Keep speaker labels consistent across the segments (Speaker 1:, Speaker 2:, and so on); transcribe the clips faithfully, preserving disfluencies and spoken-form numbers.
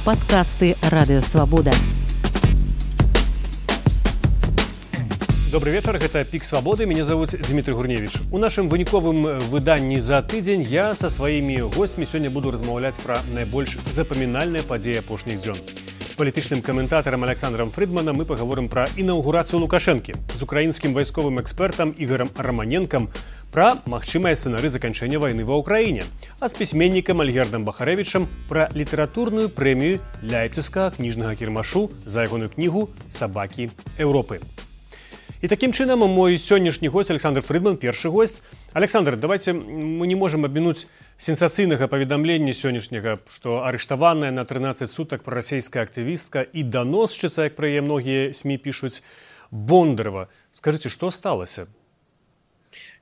Speaker 1: подкасты «Радио Свобода».
Speaker 2: Добрый вечер, это «Пик Свободы», меня зовут Дмитрий Гурневич. У нашым выніковым выданні за тыдзень я со сваімі гостьмі сёння буду размаўляць пра найбольш запамінальныя падзеі апошніх дзён. З палітычным каментатарам Александром Фридманам мы паговорым пра інаўгурацыю Лукашэнкі, з украінскім вайсковым экспертам Ігорам Романенкам пра магчымыя сцэнары заканчэння вайны ва ўкраіне, а з пісьменнікам Альгердам Бахарэвічам пра літаратурную прэмію Ляйпцігскага кніжнага кірмашу за ягоную кнігу «Сабакі Еўропы». И таким чином мой сегодняшний гость Александр Фридман, первый гость. Александр, давайте мы не можем обминуть сенсацыйнага паведамлення сегодняшнего, что арыштаваная на тринадцать суток пророссийская активистка и доносчица, как про яе многие СМИ пишут, Бондарова. Скажите, что сталося?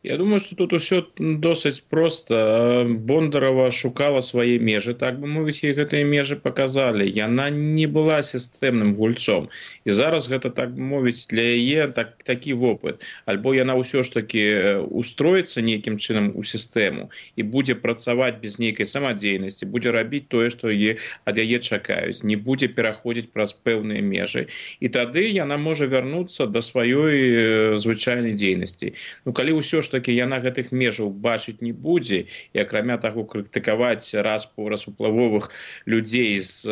Speaker 3: Я думаю, что тут все досыць просто. Бондарова шукала свои межы, так бы мовіць, ей гэтыя межы показали. Яна не была сістэмным гульцом. И зараз гэта, так бы мовіць, для яе так, такі вопыт. Альбо яна ўсё ж таки устроится нейкім чынам у сістэму и будзе працаваць без нейкай самадзейнасці, будзе рабіць тое, што яе, ад яе чакаюць, не будзе пераходзіць праз пэўныя межы. И тады яна можа вярнуцца да сваёй звычайнай дзейнасці. Ну, калі ўсё ж таки яна гэтых межаў бачыць не будзе, і акрамя таго крытыкаваць раз по раз уплывовых людзей, з,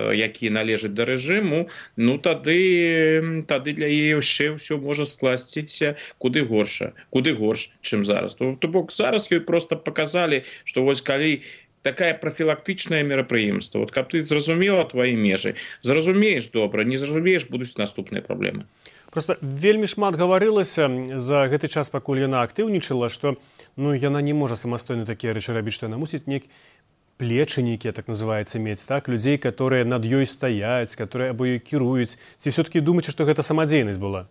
Speaker 3: якія належаць да рэжыму, ну тады, тады для яе яшчэ ўсё можа скласціся куды горша, куды горш, чым зараз. То, то бок зараз ёй просто показалі, што вось калі такая профілактычнае мерапрыемства, вот каб ты зразумела твои межы, зразумееш добра, не зразумееш, будуць наступныя праблемы.
Speaker 2: Просто вельмі шмат гаварылася за гэты час, пакуль яна актыўнічала, што ну, яна не можа самастойна такія рэчы рабіць, што яна мусіць нейк плечы нейкія, так называецца, мець, так? Людзей, которые над ёй стаяць, которые або ёй кіруюць. Ці все-таки думаеце, што гэта самадзейнасць была?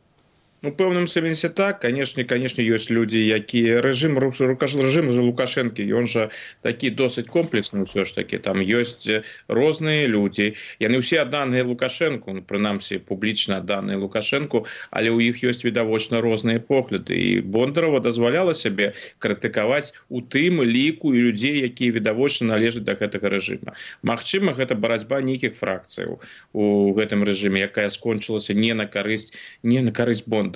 Speaker 3: Ну, в пэўным сэнсе так, конечно, конечно, ёсць людзі, якія рэжым, рэжым Лукашэнкі, ён жа такі досыць комплексны ўсё ж такі, там ёсць розныя людзі, яны ўсе адданыя Лукашэнку, ну, прынамсі публічна адданыя Лукашэнку, але ў іх ёсць відавочна розныя погляды, і Бондарова дазваляла сябе крытыкаваць у тым ліку і людзей, якія відавочна належаць да гэтага рэжыма. Магчыма, гэта барацьба нейкіх фракцыяў у гэтым рэжыме, якая скончылася не на карысць, не на карысць Бондарова.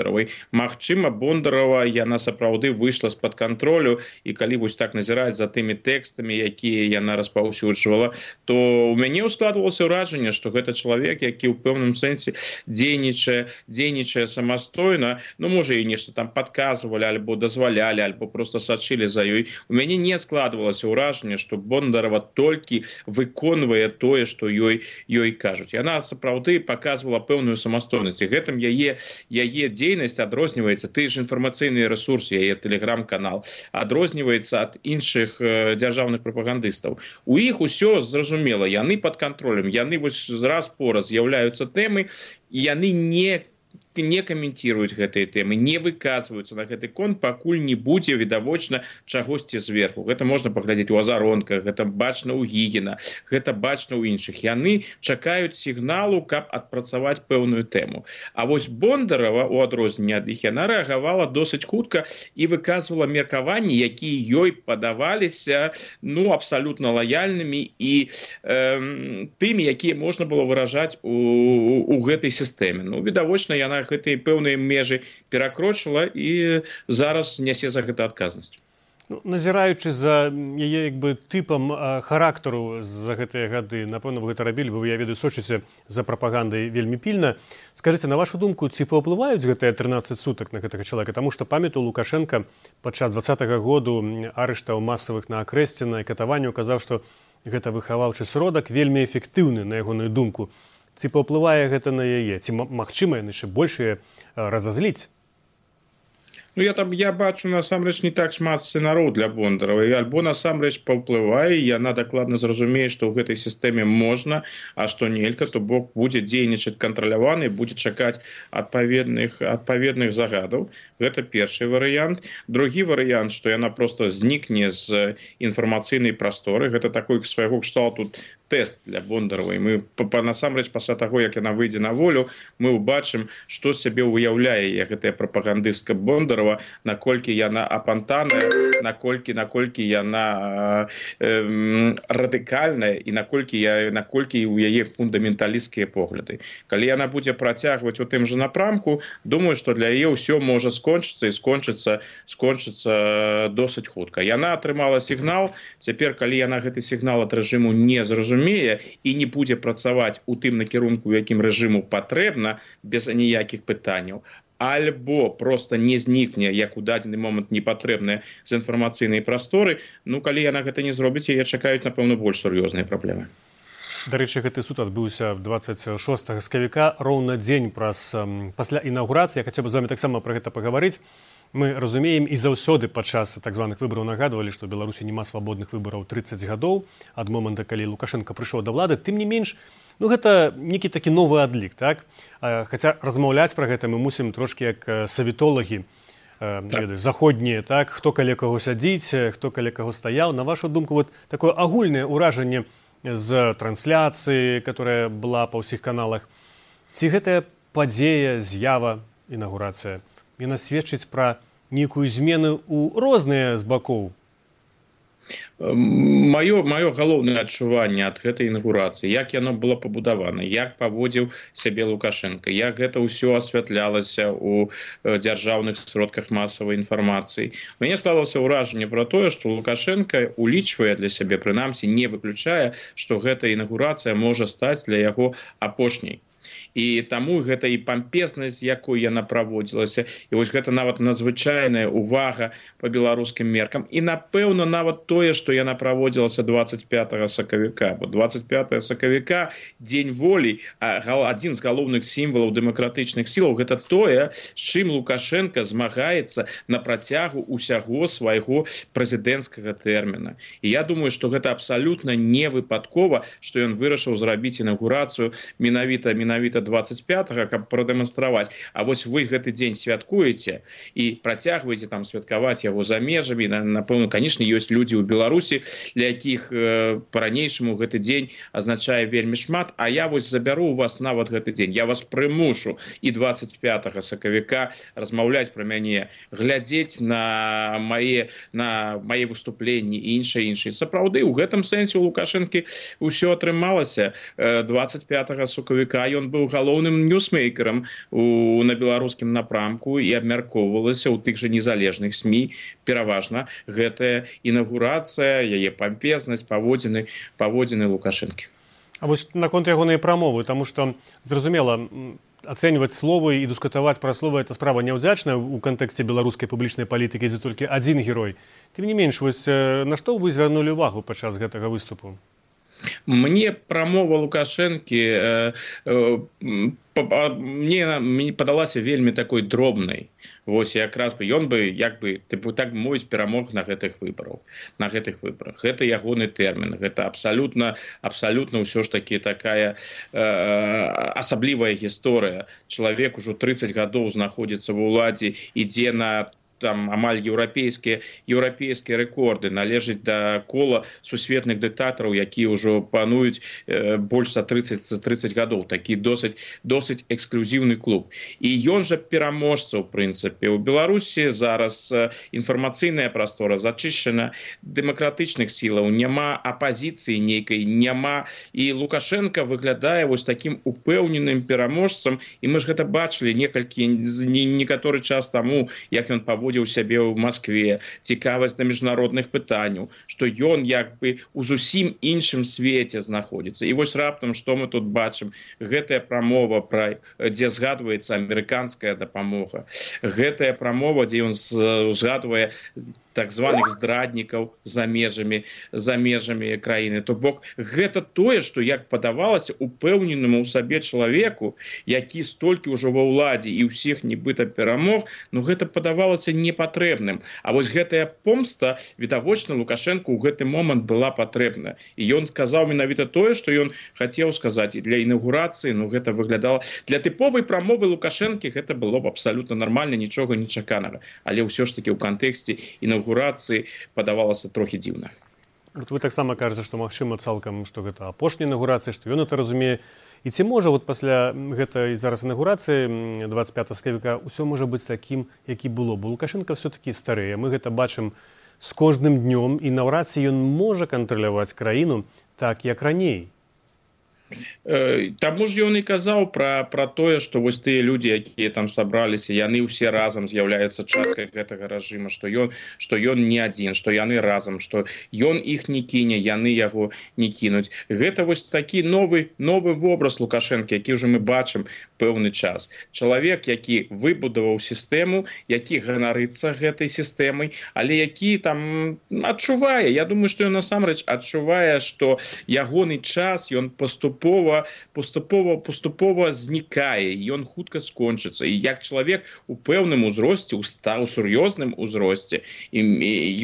Speaker 3: Магчыма, Бондарова яна сапраўды выйшла з-пад кантролю, і калі вось так назіраць за тымі тэкстамі, якія яна распаўсюджвала, то у мяне складвалася ўражанне, што гэта чалавек, які ў пэўным сэнсе дзейнічае, дзейнічае самастойна, ну можа і нешта там падказвалі, альбо дазвалялі, альбо просто сачылі за ёй. У мяне не складвалася ўражанне, што Бондарова толькі выконвае тое, што ёй ёй кажуць. Яна сапраўды паказвала пэўную самастойнасць, і гэтым яе яе дзейнасць адрозніваецца, ты ж інфармацыйны рэсурс, яе тэлеграм-канал, адрозніваецца ад іншых э, дзяржаўных прапагандыстаў. У іх усё зразумела, яны пад кантролем, яны вось раз по раз з'яўляюцца тэмы, і яны не не каментируюць гэтыя тэмы, не выказваюцца на гэты конт, пакуль не будзе відавочна чагосьці зверху. Гэта можна паглядзець у Азаронках, гэта бачна ў Гігіна, гэта бачна ў іншых. Яны чакаюць сігналу, каб адпрацаваць пэўную тэму. А вось Бондарова, у адрозненне ад іх, яна рэагавала досыць хутка і выказвала меркаванні, якія ёй падаваліся ну, абсалютна лаяльнымі і э, тымі, якія можна было выражаць у, у, у гэтай сістэме. Ну, відавочна, яна гэтыя пэўныя межы перакрочыла і зараз нясе за гэта адказнасць.
Speaker 2: Ну, назіраючы за яе як бы тыпам а, характару за гэтыя гады, напэўна, вы гэта рабілі, бо вы, я ведаю, сочыце за прапагандай вельмі пільна. Скажыце, на вашу думку, ці паўплываюць гэтыя тринадцать сутак на гэтага чалавека? Таму што памятаю, Лукашенко падчас двадцатага году арыштаў масавых на Акрэсціна і катаванняў казаў, што гэта выхаваўчы сродак вельмі эфектыўны, на ягоную думку. Ці паўплывае гэта на яе? Ці магчыма яны яшчэ больш разазліць?
Speaker 3: Ну, я там я бачу насамрэч не так шмат сцэнароў для Бондаровай, альбо насамрэч паўплывае, яна дакладна зразумее, што ў гэтай сістэме можна, а што нельга, то бок будзе дзейнічаць кантраляваны, будзе чакаць адпаведных адпаведных загадаў. Гэта першы варыянт. Другі варыянт, што яна просто знікне з інфармацыйнай прасторы. Гэта такой свайго кшталту тест для Бондарова. І мы насамрэч пасля таго, як яна выйдзе на волю, мы ўбачым, што сябе ўяўляе гэтая прапагандыстка Бондарова, наколькі яна апантаная, наколькі наколькі яна э, радыкальная і наколькі я наколькі у яе фундаменталісцкія погляды. Калі яна будзе працягваць у тым жа напрамку, думаю, што для яе ўсё можа скончыцца і скончыцца скончыцца досыць хутка. Яна атрымала сігнал, цяпер калі яна гэты сігнал ад рэжыму не зразумее і не будзе працаваць у тым накірунку, якім рэжыму патрэбна, без ніякіх пытанняў, альбо просто не знікне, як у дадзены момант непатрэбная з інфармацыйнай прасторы, ну калі яна гэта не зробіць, яе чакаюць, напэўна, больш сур'ёзныя праблемы.
Speaker 2: Дарэчы, гэты суд адбыўся дваццаць шостага сакавіка, роўна дзень праз пасля інаўгурацыі. Я хацеў бы з вамі таксама пра гэта пагаварыць. Мы разумеем і заўсёды падчас так званых выбараў нагадвалі, што ў Беларусі няма свабодных выбараў трыццаць гадоў ад момента, калі Лукашенко прыйшоў да ўлады. Тым не менш, ну гэта нейкі такі новы адлік, так? Хаця размаўляць пра гэта мы мусім трошкі як савітолагі, так. Ведаю, заходнія, так? Хто каля каго сядзіць, хто каля каго стаяў. На вашу думку, вот такое агульнае ўражанне з трансляцыі, которая была па ўсіх каналах. Ці гэтая падзея, з'ява, інаўгурацыя, яна сведчыць пра нейкую змену ў розныя з бакоў?
Speaker 3: Маё, маё галоўнае адчуванне ад гэтай інаўгурацыі, як яно было пабудавана, як паводзіў сябе Лукашенко, як гэта ўсё асвятлялася ў дзяржаўных сродках масавай інфармацыі. Мяне сталася ўражанне пра тое, што Лукашенко улічвае для сябе, прынамсі не выключае, што гэта інаўгурацыя можа стаць для яго апошняй. І таму гэта і пампезнасць, якой яна праводзілася, і вось гэта нават надзвычайная увага па беларускім меркам. І, напэўна, нават тое, што яна праводзілася дваццаць пятага сакавіка. Бо дваццаць пятага сакавіка, дзень волі, адзін з галоўных сімвалаў дэмакратычных сілаў, гэта тое, з чым Лукашенко змагаецца на працягу ўсяго свайго прэзідэнцкага тэрміна. І я думаю, што гэта абсалютна не выпадкова, што ён вырашыў зрабіць інаўгурацыю менавіта менавіта дваццаць пятага, каб прадэманстраваць. А вось вы гэты дзень святкуеце і працягваеце там святкаваць яго за межамі. Напэўна, канешне, ёсць людзі ў Беларусі, для якіх э, па-ранейшаму гэты дзень азначае вельмі шмат, а я вось забяру у вас нават гэты дзень. Я вас прымушу і дваццаць пятага сакавіка размаўляць пра мяне, глядзець на мае, на мае выступленні і іншае іншае. Сапраўды, у гэтым сэнсе у Лукашэнкі ўсё атрымалася. дваццаць пятага сакавіка ён быў галоўным ньюсмейкерам у, на беларускім напрамку і абмяркоўвалася ў тых жа незалежных СМІ пераважна гэтая інаўгурацыя, яе пампезнасць, паводзіны, паводзіны Лукашэнкі.
Speaker 2: А вось наконт ягонай прамовы, таму што, зразумела, ацэньваць словы і дыскутаваць пра словы – это справа няўдзячная ў кантэксце беларускай публічнай палітыкі, дзе толькі адзін герой. Тым не менш, вось на што вы звярнулі ўвагу падчас гэтага выступу?
Speaker 3: Мне прамова Лукашэнкі э, э, па, мне, мне падалася вельмі такой дробнай. Вось якраз бы ён бы як бы тыпу так мовіць перамог на гэтых выбарах, на гэтых выбарах. Гэта ягоны тэрмін, гэта абсалютна абсалютна ўсё ж такі такая э, асаблівая гісторыя. Чалавек ужо трыццаць гадоў знаходзіцца ва ўладзе, ідзе на там амаль еўрапейскія еўрапейскія рэкорды, належыць да кола сусветных дыктатараў, якія ўжо пануюць э, больш за трыццаць гадоў. Такі досыць досыць эксклюзіўны клуб. І ён жа пераможца, ў прынцыпе. У Беларусі зараз э, інфармацыйная прастора зачышчана дэмакратычных сілаў, няма апазіцыі нейкай, няма. І Лукашенко выглядае вось такім упэўненым пераможцам, і мы ж гэта бачылі некалькі некаторы час таму, як ён паводзіў у сябе ў Маскве, цікавасць да міжнародных пытанняў, што ён як бы у зусім іншым свеце знаходзіцца. І вось раптам, што мы тут бачым? Гэтая прамова, пра, дзе згадваецца амерыканская дапамога. Гэтая прамова, дзе ён згадвае так званых здраднікаў за межамі за межамі краіны. То бок гэта тое, што як падавалася упэўненаму ў сабе чалавеку, які столькі ўжо ва ўладзе і ўсіх нібыта перамог, ну гэта падавалася непатрэбным. А вось гэтая помста відавочна Лукашенко ў гэты момант была патрэбна. І ён сказаў менавіта тое, што ён хацеў сказаць. І для інаўгурацыі, ну гэта выглядала для тыповай прамовы Лукашэнкі гэта было б абсалютна нармальна, нічога нечаканага. Але ўсё ж такі ў кантэксце інаўгурацыі падавалася трохі дзіўна.
Speaker 2: Вот вы таксама кажаце, што магчыма цалкам, што гэта апошняя інаўгурацыя, што ён это разумее. І ці можа вот пасля гэтай зараз інаўгурацыі двадцать пятого сакавіка ўсё можа быць такім, які было? Бо Лукашенко ўсё-такі старыя. Мы гэта бачым з кожным днём, і наўрад ці ён можа кантраляваць краіну так, як раней.
Speaker 3: Таму ж ён і казаў пра, пра тое, што вось тыя людзі, якія там сабраліся, яны ўсе разам з'яўляюцца часткай гэтага рэжыма, што ён, што ён не адзін, што яны разам, што ён іх не кіне, яны яго не кінуць. Гэта вось такі новы, новы вобраз Лукашэнкі, які ўжо мы бачым пэўны час. Чалавек, які выбудаваў сістэму, які ганарыцца гэтай сістэмай, але які там адчувае, я думаю, што ён насамрэч адчувае, што ягоны час, ён поступ Поступова, поступова, поступова знікае, ён хутка скончыцца. І як чалавек у пэўным узросце, у стаў сур'ёзным узросце, і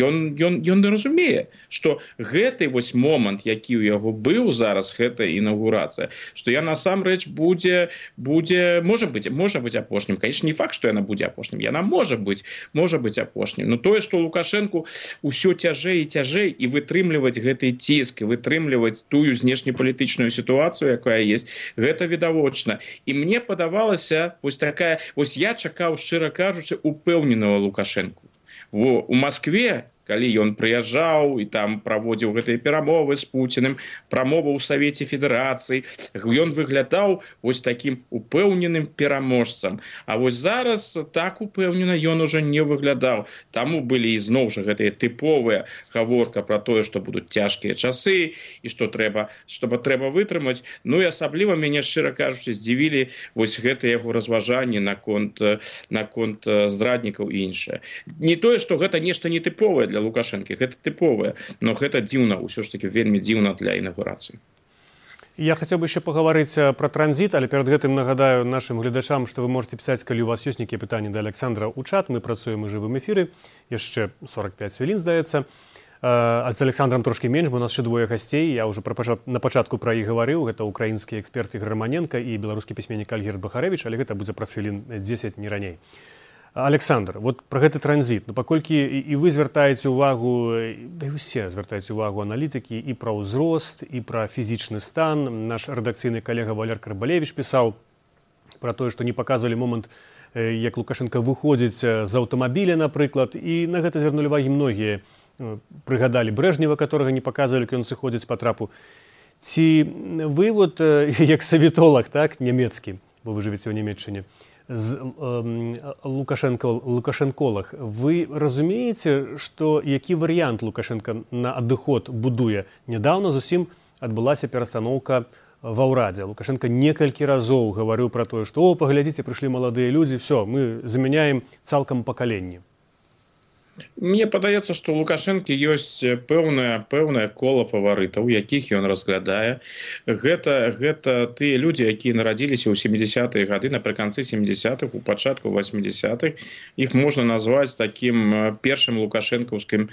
Speaker 3: ён, ён, ён разумее, што гэты вось момант, які ў яго быў зараз, гэта інаўгурацыя, што я насамрэч будзе, будзе, можа быць, можа быць апошнім. Конечно, не факт, што яна будзе апошнім. Яна можа быць, можа быць апошнім. Но тое, што Лукашэнку ўсё цяжэй і цяжэй, і вытрымліваць гэты ціск, і вытрымліваць тую знешнепалітычную сітуацыю, якая есть, гэта відавочна. І мне падавалася вось такая, вось я чакаў, шчыра кажучы, упэўненага Лукашэнку. Во, у Маскве, калі ён прыязджаў і там праводзіў гэтыя перамовы з Пуціным, прамовы ў Савеце Федэрацыі, ён выглядаў вось такім упэўненым пераможцам. А вось зараз так упэўнена ён ужо не выглядаў. Таму былі ізноў жа гэтыя тыповыя гаворка пра тое, што будуць цяжкія часы і што трэба, што трэба вытрымаць. Ну і асабліва мяне, шчыра кажучы, здзівілі вось гэтыя яго разважанні наконт, наконт здраднікаў і іншае. Не тое, што гэта нешта нетыповае для Лукашэнкі, гэта тыповае, но гэта дзіўна, ўсё ж таки вельмі дзіўна для інаўгурацыі.
Speaker 2: Я хацеў бы яшчэ пагаварыць пра транзіт, але перад гэтым нагадаю нашым гледачам, што вы можете пісаць, калі у вас ёсць нейкія пытанні да Александра ў чат. Мы працуем у жывым эфіры, яшчэ сорок пять хвілін, здаецца. А з Александром трошкі менш, бо у нас ще двое гасцей. Я ўжо на пачатку пра іх гаварыў. Гэта украінскі эксперт Ігор Романенко і беларускі пісьменнік Альгерд Бахарэвіч, але гэта будзе праз хвілін дзесяць, не раней. Александр, вот про гэты транзіт, ну, паколькі і вы звяртаеце ўвагу, да і ўсе звяртаеце ўвагу аналітыкі і пра ўзрост, і пра фізічны стан. Наш рэдакцыйны калега Валер Карбалевіч пісаў пра тое, што не паказвалі момант, як Лукашенко выходзіць з аўтамабіля, напрыклад, і на гэта звярнулі ўвагі многія. Прыгадалі Брэжнева, которага не паказвалі, ён сыходзіць па трапу. Ці вы, вот, як савітолаг, так, нямецкі, бо вы жывеце ў Нямецчыне, лукашэнколог, вы разумееце, што які варыянт Лукашенко на адыход будуе? Нядаўна зусім адбылася перастаноўка ва ўрадзе. Лукашенко некалькі разоў гаварыў пра тое, што о, паглядзіце, прыйшлі маладыя людзі, все, мы замяняем цалкам пакаленне.
Speaker 3: Мне падаецца, што ў Лукашэнкі ёсць пэўнае пэўнае кола фаварытаў, якіх ён разглядае. Гэта, гэта тыя людзі, якія нарадзіліся ў сямідзясятыя гады, напрыканцы сямідзясятых, у пачатку васьмідзясятых. Іх можна назваць такім першым лукашэнкаўскім,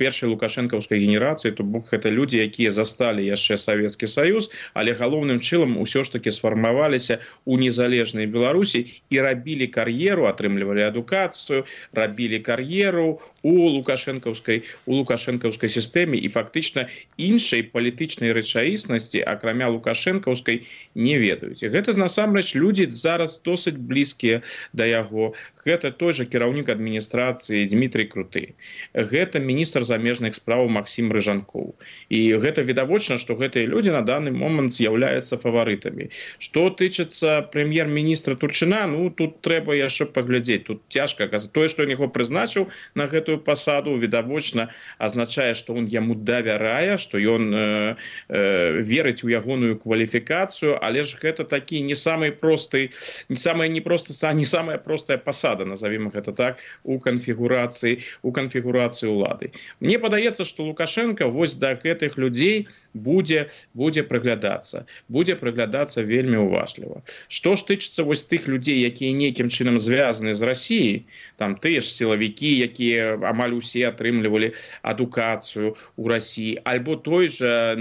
Speaker 3: першай лукашэнкаўскай генерацыяй, то бок гэта людзі, якія засталі яшчэ Савецкі Саюз, але галоўным чынам усё ж такі сфармаваліся ў незалежнай Беларусі і рабілі кар'еру, атрымлівалі адукацыю, рабілі кар'еру у лукашэнкаўскай у лукашэнкаўскай сістэме, і фактычна іншай палітычнай рэчаіснасці, акрамя лукашэнкаўскай, не ведаюць. І гэта насамрэч людзі зараз досыць блізкія да яго. Гэта той жа кіраўнік адміністрацыі Дмітрий Круты. Гэта міністр замежных спраў Максім Рыжанкоў. І гэта відавочна, што гэтыя людзі на даны момант з'яўляюцца фаварытамі. Што тычыцца прэм'ер-міністра Турчына, ну тут трэба яшчэ паглядзець. Тут цяжка казаць. Тое, што ён яго прызначыў на гэтую пасаду, відавочна азначае, што он яму давярае, што ён э, э, верыць у ягоную кваліфікацыю, але ж гэта такі не самый просты, не самая непроста, не самая простая пасада, назовем гэта так, у канфігурацыі, у канфігурацыі ўлады. Мне падаецца, што Лукашенко вось да гэтых людзей будзе будзе прыглядацца, будзе прыглядацца вельмі уважліва. Што ж тычыцца вось тых людзей, якія нейкім чынам звязаны з Расіяй, там тыя ж сілавікі, якія амаль усе атрымлівалі адукацыю ў Расіі, альбо той жа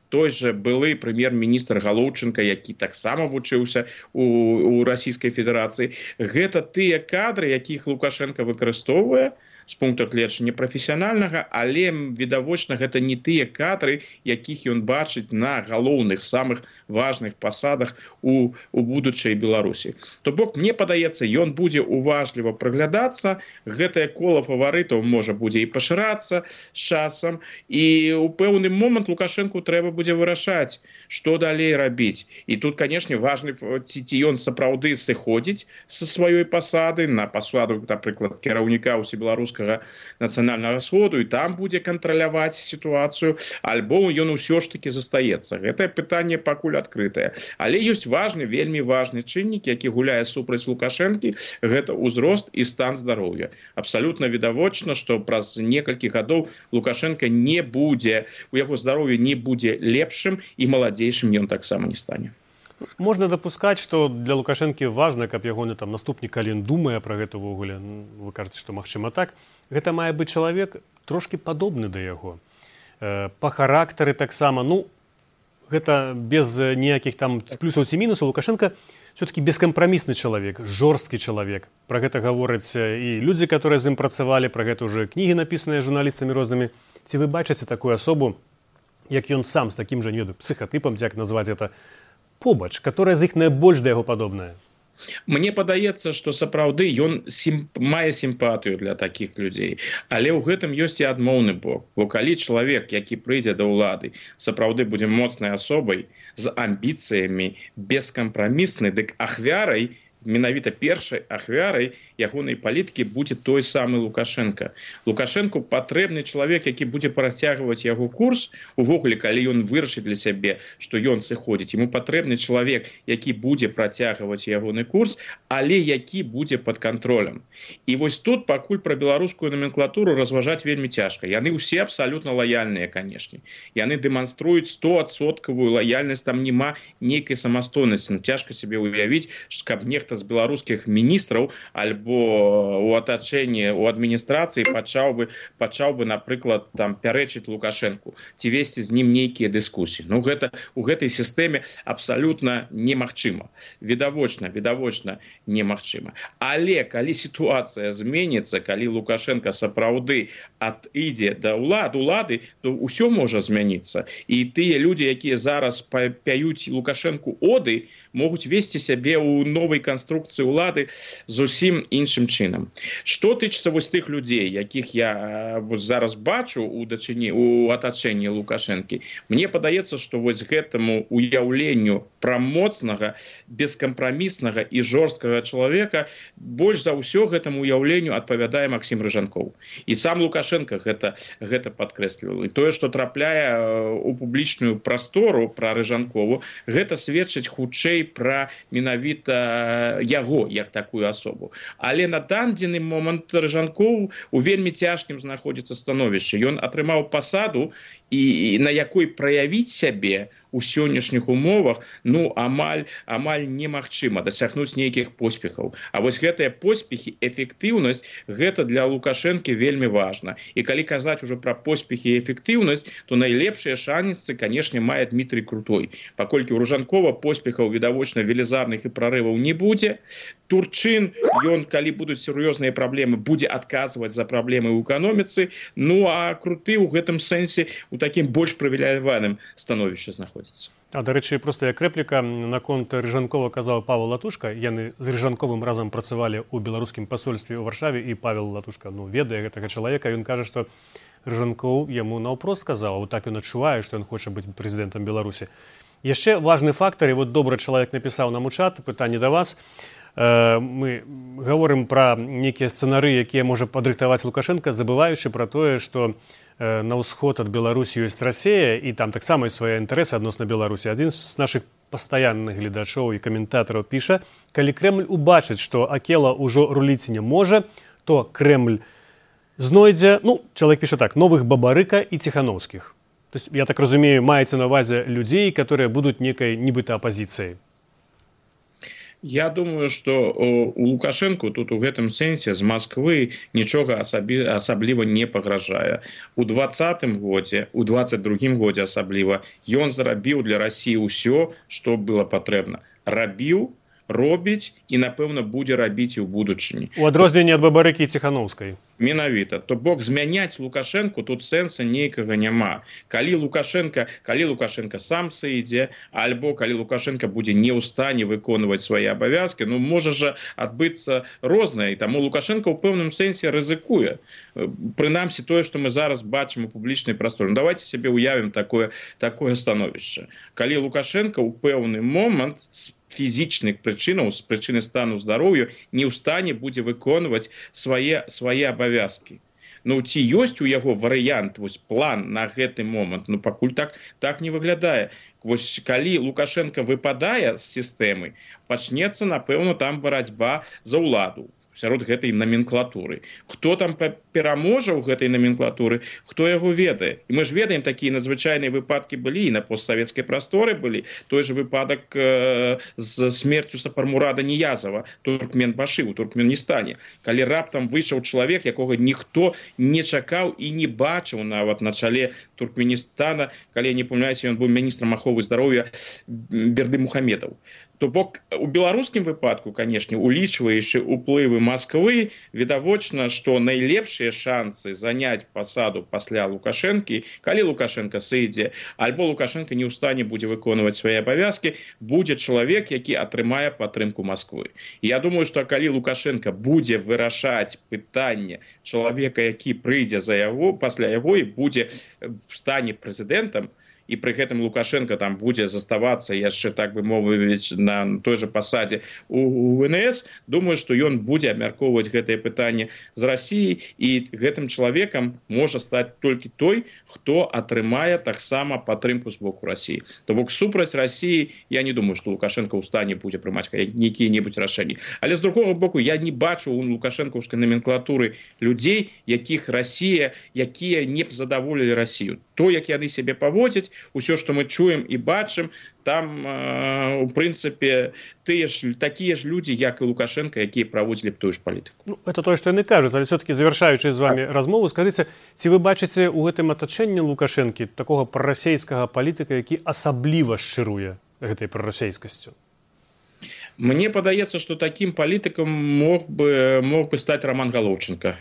Speaker 3: той жа былы прэм'ер-міністр Галоўчынка, які таксама вучыўся у, у Расійскай Федэрацыі. Гэта тыя кадры, якіх Лукашенко выкарыстоўвае з пункту гледжання прафесіянальнага, але відавочна гэта не тыя кадры, якіх ён бачыць на галоўных самых важных пасадах у, у будучай Беларусі. То бок мне падаецца, ён будзе уважліва прыглядацца, гэтае кола фаварытаў можа будзе і пашырацца з часам, і ў пэўны момант Лукашэнку трэба будзе вырашаць, што далей рабіць. І тут, канешне, важны, ці, ці ён сапраўды сыходзіць са сваёй пасады на пасаду, напрыклад, кіраўніка ўсебеларускага нацыянальнага сходу, і там будзе кантраляваць сітуацыю, альбо ён усё ж таки застаецца. Гэтае пытанне пакуль адкрытае. Але ёсць важны, вельмі важны чыннік, які гуляе супраць Лукашэнкі, гэта ўзрост і стан здароўя. Абсалютна відавочна, што праз некалькі гадоў Лукашенко не будзе, у яго здароўе не будзе лепшым, і маладзейшым ён таксама не стане.
Speaker 2: Можна дапускаць, што для Лукашэнкі важна, каб ягоны там наступнік, калі ён думае пра гэта ўвогуле, вы кажаце, што магчыма так, гэта мае быць чалавек трошкі падобны да яго. Па характары таксама, ну, гэта без ніякіх там плюсаў ці мінусаў. Лукашенко все-таки бескампрамісны чалавек, жорсткі чалавек. Пра гэта гавораць і людзі, которые з ім працавалі, пра гэта ўжо кнігі напісаныя журналістамі рознымі. Ці вы бачыце такую асобу, як ён сам з такім жа, не ведаю, псіхатыпам, як назваць это, побач, которая з іх найбольш да яго падобная?
Speaker 3: Мне падаецца, што сапраўды ён сім... мае сімпатыю для такіх людзей, але ў гэтым ёсць і адмоўны бок. Бо калі чалавек, які прыйдзе да ўлады, сапраўды будзе моцнай асобай, з амбіцыямі, бескампрамісны, дык ахвярай, менавіта першай ахвярай ягонай палітыкі будзе той самы Лукашенко. Лукашенку патрэбны чалавек, які будзе працягваць яго курс, увогуле, калі ён вырашыць для сябе, што ён сыходзіць. Яму патрэбны чалавек, які будзе працягваць ягоны курс, але які будзе пад кантролем. І вось тут пакуль пра беларускую номенклатуру разважаць вельмі цяжка. Яны ўсе абсалютна лаяльныя, канешне. Яны дэманструюць стоадсоткавую лаяльнасць, там няма нейкай самастойнасці. Ну, цяжка сябе уявіць, каб нехта з беларускіх міністраў альбо у атачэнні, у адміністрацыі пачаў бы, пачаў бы, напрыклад, там пярэчыць Лукашэнку, ці весці з ім нейкія дыскусіі. Ну, гэта у гэтай сістэме абсалютна немагчыма. Відавочна, відавочна немагчыма. Але калі сітуацыя зменіцца, калі Лукашенко сапраўды адыдзе да ўлад, улады, то ўсё можа змяніцца. І тыя людзі, якія зараз пяюць Лукашэнку оды, могуць весці сябе ў новай канструкцыі ўлады зусім іншым чынам. Што тычыцца вось тых людзей, якіх я вось зараз бачу у дачыні, у атачэнні Лукашэнкі, мне падаецца, што вось гэтаму уяўленню пра моцнага, бескампраміснага і жорсткага чалавека больш за ўсё гэтаму уяўленню адпавядае Максім Рыжанкоў. І сам Лукашенко гэта, гэта падкрэсліваў. І тое, што трапляе у публічную прастору пра Рыжанкову, гэта сведчыць хутчэй пра менавіта яго як такую асобу. Але на дадзены момант Рыжанкоў у вельмі цяжкім знаходзіцца становішчы. Ён атрымаў пасаду, і на якой праявіць сябе у сённяшніх умовах, ну, амаль, амаль немагчыма дасягнуць нейкіх поспехаў. А вось гэтыя поспехі, эфектыўнасць, гэта для Лукашэнкі вельмі важна. І калі казаць ужо пра поспехі і эфектыўнасць, то найлепшыя шанцы, канешне, мае Дмітрый Крутой. Паколькі ў Рыжанкова поспехаў відавочна велізарных і прарываў не будзе. Турчын, ён, калі будуць сур'ёзныя праблемы, будзе адказваць за праблемы ў эканоміцы. Ну, а Круты ў гэтым сэнсе у такім больш прывілеяваным становішчы знаходзіцца.
Speaker 2: А, дарэчы, проста як рэпліка, наконт Рыжанкова казаў Павел Латушка. Яны з Рыжанковым разам працавалі ў беларускім пасольстве ў Варшаве, і Павел Латушка, ну, ведае гэтага чалавека. Ён кажа, што Рыжанкоў яму наўпрост сказаў, а так ён адчувае, што ён хоча быць прэзідэнтам Беларусі. Яшчэ важны фактар, і вот добры чалавек напісаў нам у чат, пытанне да вас. Мы гаворым пра нейкія сцэнары, якія можа падрыхтаваць Лукашенко, забываючы пра тое, што на ўсход ад Беларусі ёсць Расія, і там таксама ёсць свае інтарэсы адносна Беларусі. Адзін з нашых пастаянных гледачоў і каментатараў піша: калі Крэмль убачыць, што Акела ўжо руліць не можа, то Крэмль знойдзе, ну, чалавек піша так, новых Бабарыка і Ціхановскіх. То есть, я так разумею, маеце на ўвазе людзей, которые будуць некай нібыта апазіцыяй.
Speaker 3: Я думаю, што у Лукашэнку тут у гэтым сэнсе з Масквы нічога асабі, асабліва не пагражае. У двадцатым годзе, у дваццаць другім годзе асабліва, ён зрабіў для Расіі ўсё, што было патрэбна. Рабіў, робіць і напэўна будзе рабіць і ў будучыні.
Speaker 2: У адрозненне ад Бабарыкі і Ціханаўскай.
Speaker 3: Менавіта, то бок змяняць Лукашэнку тут сэнса нейкага няма. Калі Лукашенко, калі Лукашенко сам сыдзе, альбо калі Лукашенко будзе не ў стане выконваць свае абавязкі, ну можа жа адбыцца рознае, і таму Лукашенко ў пэўным сэнсе рызыкуе. Прынамсі тое, што мы зараз бачым у публічнай прасторы. Ну, давайте сябе уявім такое, такое становішча. Калі Лукашенко ў пэўны момант з фізічных прычынаў, з прычыны стану здароўя не ў стане будзе выконваць свае, свае абавязкі. Ну, ці ёсць у яго варыянт, вось план на гэты момант? Ну, пакуль так, так не выглядае. Вось калі Лукашенко выпадае з сістэмы, пачнецца, напэўна, там барацьба за ўладу сярод гэтай номенклатуры. Хто там пераможа ў гэтай номенклатуры, хто яго ведае. І мы ж ведаем, такія надзвычайныя выпадкі былі і на постсавецкай прасторы былі. Той же выпадак э, з смерцю Сапармурада Ниязова, Туркменбашы ў Туркменістане. Калі раптам выйшаў чалавек, якога ніхто не чакаў і не бачыў нават на чале Туркменістана, калі я не памыляюся, ён быў міністрам аховы здароўя Берды Мухамедаў. То бок у беларускім выпадку, канешне, улічваючы ўплывы Масквы, відавочна, што найлепшыя шансы заняць пасаду пасля Лукашэнкі, калі Лукашенко сыдзе, альбо Лукашенко не ў стане будзе выконваць свае абавязкі, будзе чалавек, які атрымае падтрымку Масквы. Я думаю, што калі Лукашенко будзе вырашаць пытанне чалавека, які прыйдзе за яго, пасля яго і будзе в стане прэзідэнтам, і пры гэтым Лукашенко там будзе заставацца яшчэ, так бы мовіць, на той же пасадзе у эн эс, думаю, што ён будзе абмяркоўваць гэтае пытанне з Расіяй, і гэтым чалавекам можа стаць толькі той, хто атрымае таксама падтрымку з боку Расіі. То бок супраць Расіі я не думаю, што Лукашенко ў стане будзе прымаць якія-небудзь рашэнні. Але з другога боку, я не бачу у лукашэнкаўскай номенклатуры людзей, якіх Расія, якія не б задаволілі Расію. То, як яны сябе паводзяць, усё, што мы чуем і бачым, там, э, у прынцыпе, тыя ж, такія ж людзі, як і Лукашенко, якія праводзілі б тую ж палітыку.
Speaker 2: Ну, это то, што яны кажуць, але все-таки завяршаючы з вами так. размову, скажыце, ці вы бачыце ў гэтым атачэнні Лукашэнкі такога прарасейскага палітыка, які асабліва шчыруе гэтай прарасейскасцю?
Speaker 3: Мне падаецца, што такім палітыкам мог бы, мог бы стаць Роман Галоўченко.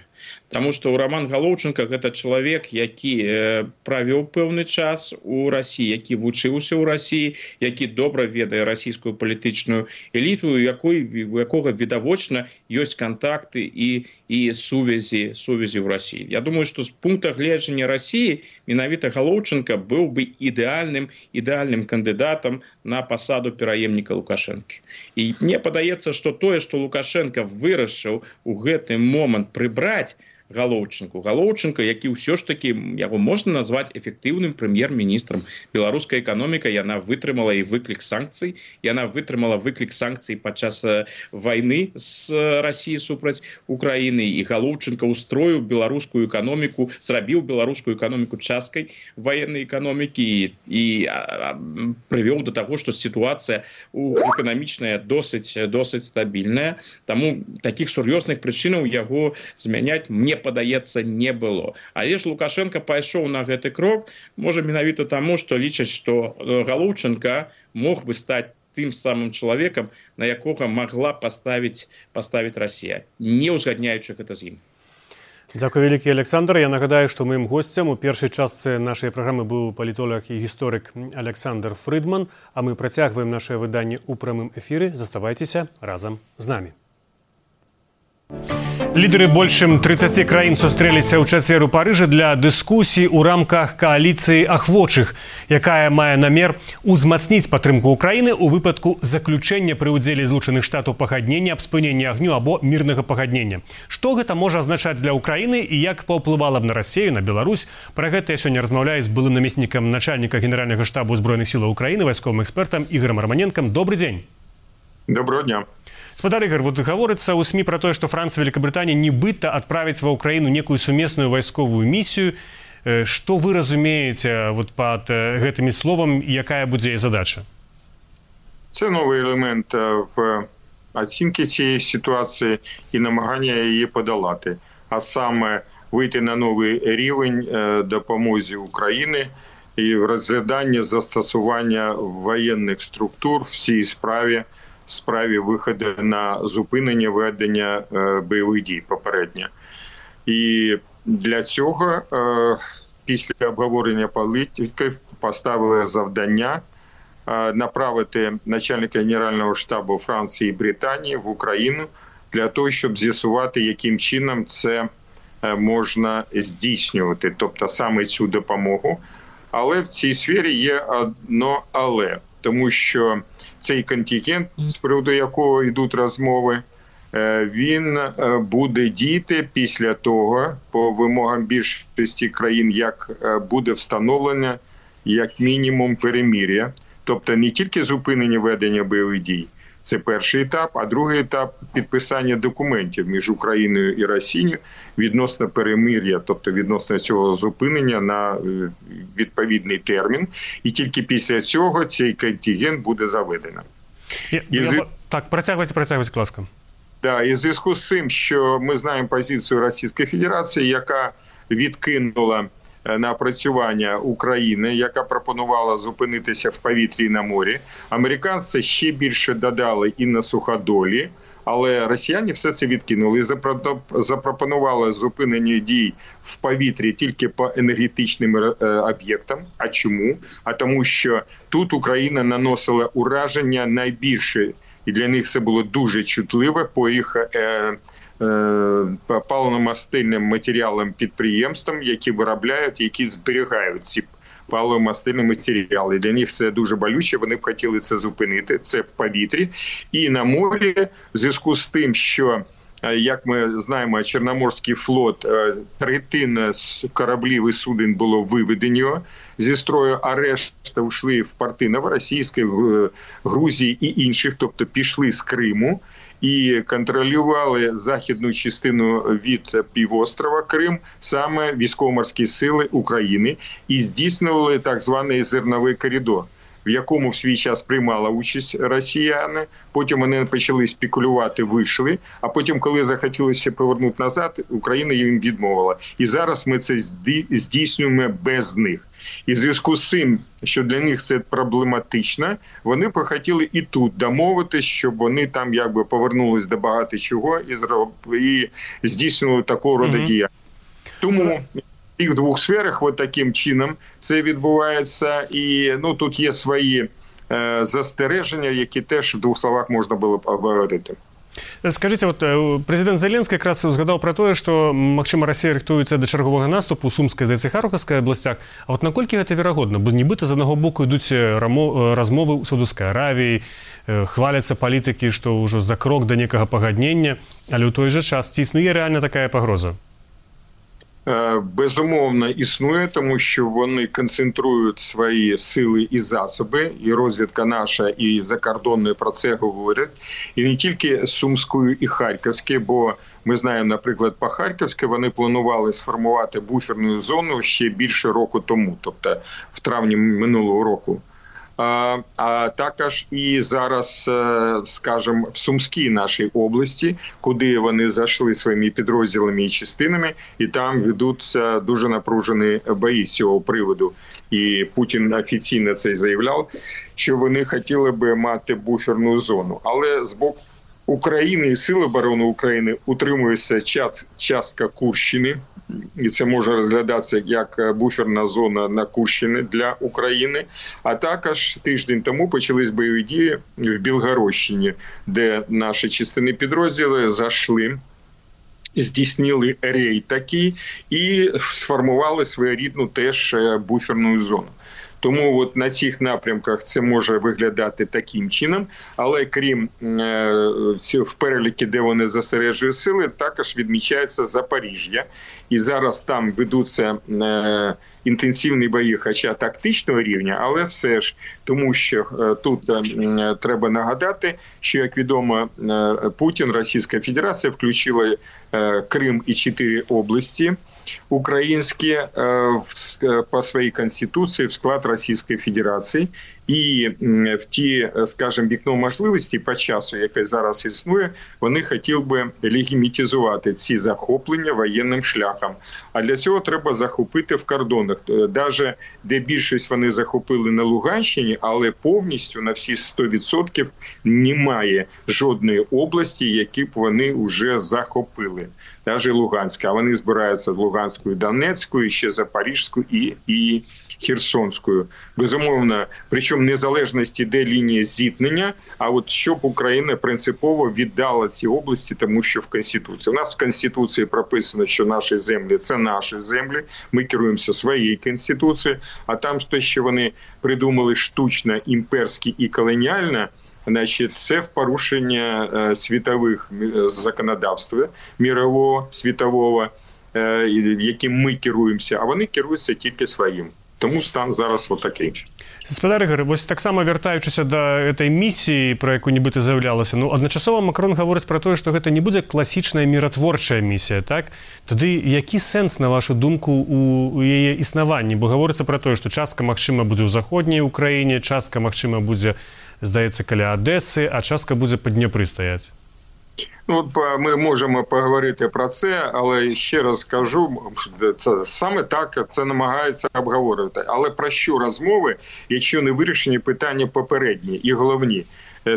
Speaker 3: Таму што Роман Галоўченко гэта чалавек, які правёў пэўны час у Расіі, які вучыўся ў Расіі, які добра ведае расійскую палітычную эліту, у якой, у якога відавочна ёсць кантакты і, і сувязі, сувязі ў Расіі. Я думаю, што з пункта гледжання Расіі менавіта Галоўченко быў бы ідэальным, ідэальным кандыдатам на пасаду пераемніка Лукашэнкі. І мне падаецца, што тое, што Лукашенко вырашыў у гэты момант прыбраць Галоўченко. Галоўченко, які ўсё ж такі, яго можна назваць эфектыўным прэм'ер-міністрам. Беларуская эканоміка, яна вытрымала і выклік санкцый, яна вытрымала выклік санкцый падчас вайны з Расіі супраць Украіны, і Галоўченко устроіў беларускую эканоміку, зрабіў беларускую эканоміку часткай ваеннай эканомікі і, і а, прывёў да таго, што сітуацыя эканамічная досыць, досыць стабільная. Таму такіх сур'ёзных прычынаў яго змяняць мне падаецца, не было. Але ж Лукашенко пайшоў на гэты крок, можа менавіта таму, што лічаць, што Галоўченко мог бы стаць тым самым чалавекам, на якога магла паставіць, паставіць Расія, не ўзгадняючы гэта з ім.
Speaker 2: Дзякуй вялікі, Александр. Я нагадаю, што маім госцем у першай частцы нашай праграмы быў палітолог і гісторык Александр Фрыдман, а мы працягваем наше выданне ў прамым эфіры. Заставайцеся разам з намі. Лідеры больш чым трыццаці краін сустрэліся ў чацвер у Парыжы для дыскусій у рамках кааліцыі ахвочых, якая мае намер узмацніць падтрымку Украіны ў выпадку заключэння пры ўдзеле Злучаных Штатаў пагаднення аб спыненні агню або мірнага пагаднення. Што гэта можа азначаць для Украіны і як паўплывала б на Расію, на Беларусь? Пра гэта я сёння размаўляю з былым намеснікам начальніка Генеральнага штабу Збройных сілаў Украіны, вайсковым экспертам Ігорам Романенкам. Добрый дзень.
Speaker 4: Доброго дня.
Speaker 2: Спадар Ігор, вот гаворыцца ў СМІ пра тое, што Францыя і Великабрытанія нібыта адправіць ва ўкраіну некую сумесную вайсковую місію. Што вы разумееце вот пад гэтымі словам, якая будзе задача?
Speaker 4: Це новий елемент в оцінці цієї ситуації і намагання її подолати. А саме вийти на новий рівень допомозі Україні і в розгляданні застосування воєнних структур в цій справі в справі виходу на зупинення ведення бойових дій попередньо. І для цього після обговорення політиків поставили завдання направити начальника Генерального штабу Франції і Британії в Україну для того, щоб з'ясувати, яким чином це можна здійснювати, тобто саме цю допомогу. Але в цій сфері є одно але, тому що цей контингент, з приводу якого йдуть розмови, він буде діяти після того, по вимогам більшості країн, як буде встановлено як мінімум перемир'я. Тобто не тільки зупинення ведення бойових дій, це перший етап, а другий етап – підписання документів між Україною і Росією відносно перемир'я, тобто відносно цього зупинення на відповідний термін. І тільки після цього цей контингент буде заведено.
Speaker 2: Я, і... я... Так, протягуйте, протягуйте, будь ласка.
Speaker 4: Да, і в зв'язку з цим, що ми знаємо позицію Російської Федерації, яка відкинула напрацювання України, яка пропонувала зупинитися в повітрі і на морі. Американці ще більше додали і на суходолі, але росіяни все це відкинули і запропонували зупинення дій в повітрі тільки по енергетичним об'єктам. А чому? А тому, що тут Україна наносила ураження найбільше, і для них це було дуже чутливе по їх е, паливно-мастильним матеріалам підприємствам, які виробляють, які зберігають ці паливо-мастильні матеріали. Для них це дуже болюче, вони б хотіли це зупинити, це в повітрі. І на морі, в зв'язку з тим, що, як ми знаємо, Чорноморський флот, третина кораблів і суден було виведено зі строю, а решта йшли в порти Новоросійської, Грузії і інших, тобто пішли з Криму і контролювали західну частину від півострова Крим саме військово-морські сили України і здійснювали так званий зерновий коридор, в якому в свій час приймала участь росіяни, потім вони почали спекулювати, вийшли, а потім, коли захотілося повернути назад, Україна їм відмовила. І зараз ми це здійснюємо без них. І в зв'язку з цим, що для них це проблематично, вони б хотіли і тут домовитись, щоб вони там якби повернулись до багато чого і, зроб... і здійснювали такого роду mm-hmm. діяння. Тому в цих двох сферах от таким чином це відбувається. І ну, тут є свої е, застереження, які теж в двох словах можна було б обговорити.
Speaker 2: Скажите, вот президент Зеленский как раз згадав про те, що, магчыма, Росія рыхтуецца да чарговага наступу ў Сумскай, здаецца, Харкаўскай абласцях. А вот наколькі гэта верагодна? Бо нібыта з аднаго боку ідуць размовы ў Саудаўскай Аравіі, хваляцца палітыкі, што ўжо за крок да некага пагаднення, але ў той жа час ці існуе рэальна такая пагроза?
Speaker 4: Безумовно, існує, тому що вони концентрують свої сили і засоби, і розвідка наша, і закордонні про це говорять. І не тільки Сумською і Харківською, бо ми знаємо, наприклад, по Харківській вони планували сформувати буферну зону ще більше року тому, тобто в травні минулого року. А, а також і зараз, скажімо, в Сумській нашій області, куди вони зайшли своїми підрозділами і частинами, і там ведуться дуже напружені бої з цього приводу. І Путін офіційно це заявляв, що вони хотіли би мати буферну зону. Але з боку України і Сил оборони України утримується частка Курщини, і це може розглядатися як буферна зона на Курщині для України. А також тиждень тому почались бойові дії в Білгородщині, де наші частини підрозділи зайшли, здійснили рейд такий і сформували своєрідну теж буферну зону. Тому от на цих напрямках це може виглядати таким чином, але крім е, в переліки, де вони зосереджують сили, також відмічається Запоріжжя. І зараз там ведуться е, інтенсивні бої, хоча тактичного рівня, але все ж, тому що е, тут е, треба нагадати, що, як відомо, е, Путін, Російська Федерація включила е, Крим і чотири області українські по своїй конституції в склад Російської Федерації. І в ті, скажімо, вікно можливості по часу, яке зараз існує, вони хотіли би легітимізувати ці захоплення воєнним шляхом. А для цього треба захопити в кордонах. Навіть де більшість вони захопили на Луганщині, але повністю на всі сто відсотків немає жодної області, які б вони вже захопили. Навіть Луганська. А вони збираються в Луганську і Донецьку, і ще Запорізьку і, і Херсонською. Безумовно, причому незалежності, де лінія зіткнення, а от щоб Україна принципово віддала ці області, тому що в Конституції. У нас в Конституції прописано, що наші землі – це наші землі, ми керуємося своєю Конституцією, а там те, що вони придумали штучно, імперське і колоніальне, значить, це в порушення е, світових законодавств, мирового, світового, е, яким ми керуємося, а вони керуються тільки своїм. Тому стан зараз отакий.
Speaker 2: Спадар Ігор, ось так само вертаючися до этой місії, про яку нібито заявлялося, ну, одночасово Макрон говорить про те, що це не буде класична миротворча місія, так? Тоді який сенс, на вашу думку, у, у її існуванні? Бо говориться про те, що частка, магчима, буде у Заходній Україні, частка, магчима, буде, здається, каля Одеси, а частка буде по Дніпрі стояти.
Speaker 4: Ну, ми можемо поговорити про це, але ще раз скажу, це, саме так це намагається обговорювати. Але про що розмови, якщо не вирішені питання попередні і головні?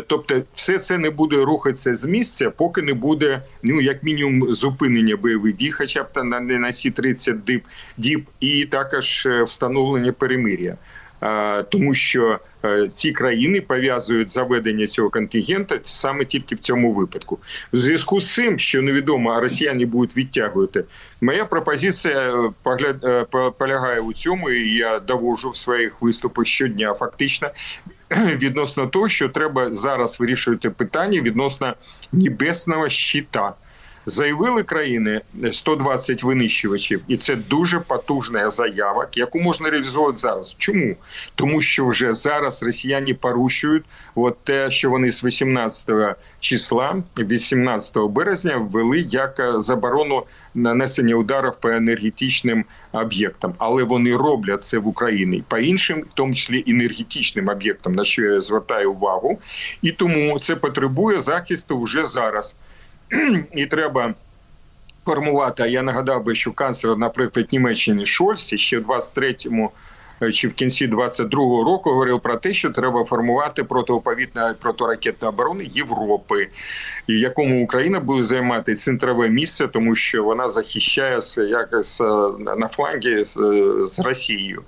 Speaker 4: Тобто все це не буде рухатися з місця, поки не буде, ну, як мінімум, зупинення бойових дій, хоча б на, на ці тридцять діб, діб, і також встановлення перемир'я. Тому що ці країни пов'язують заведення цього контингенту саме тільки в цьому випадку. В зв'язку з цим, що невідомо, а росіяни будуть відтягувати, моя пропозиція полягає у цьому, і я доводжу в своїх виступах щодня фактично, відносно того, що треба зараз вирішувати питання відносно небесного щита. Заявили країни сто двадцять винищувачів, і це дуже потужна заява, яку можна реалізувати зараз. Чому? Тому що вже зараз росіяни порушують от те, що вони з вісімнадцятого числа, вісімнадцятого березня ввели як заборону нанесення ударів по енергетичним об'єктам. Але вони роблять це в Україні по іншим, в тому числі енергетичним об'єктам, на що я звертаю увагу. І тому це потребує захисту вже зараз. І треба формувати, а я нагадав би, що канцлер, наприклад, Німеччини Шольц ще в двадцять третьому чи в кінці двадцять другого року говорив про те, що треба формувати протиповітряну протиракетну оборону Європи, в якому Україна буде займати центрове місце, тому що вона захищає якось на флангі з Росією.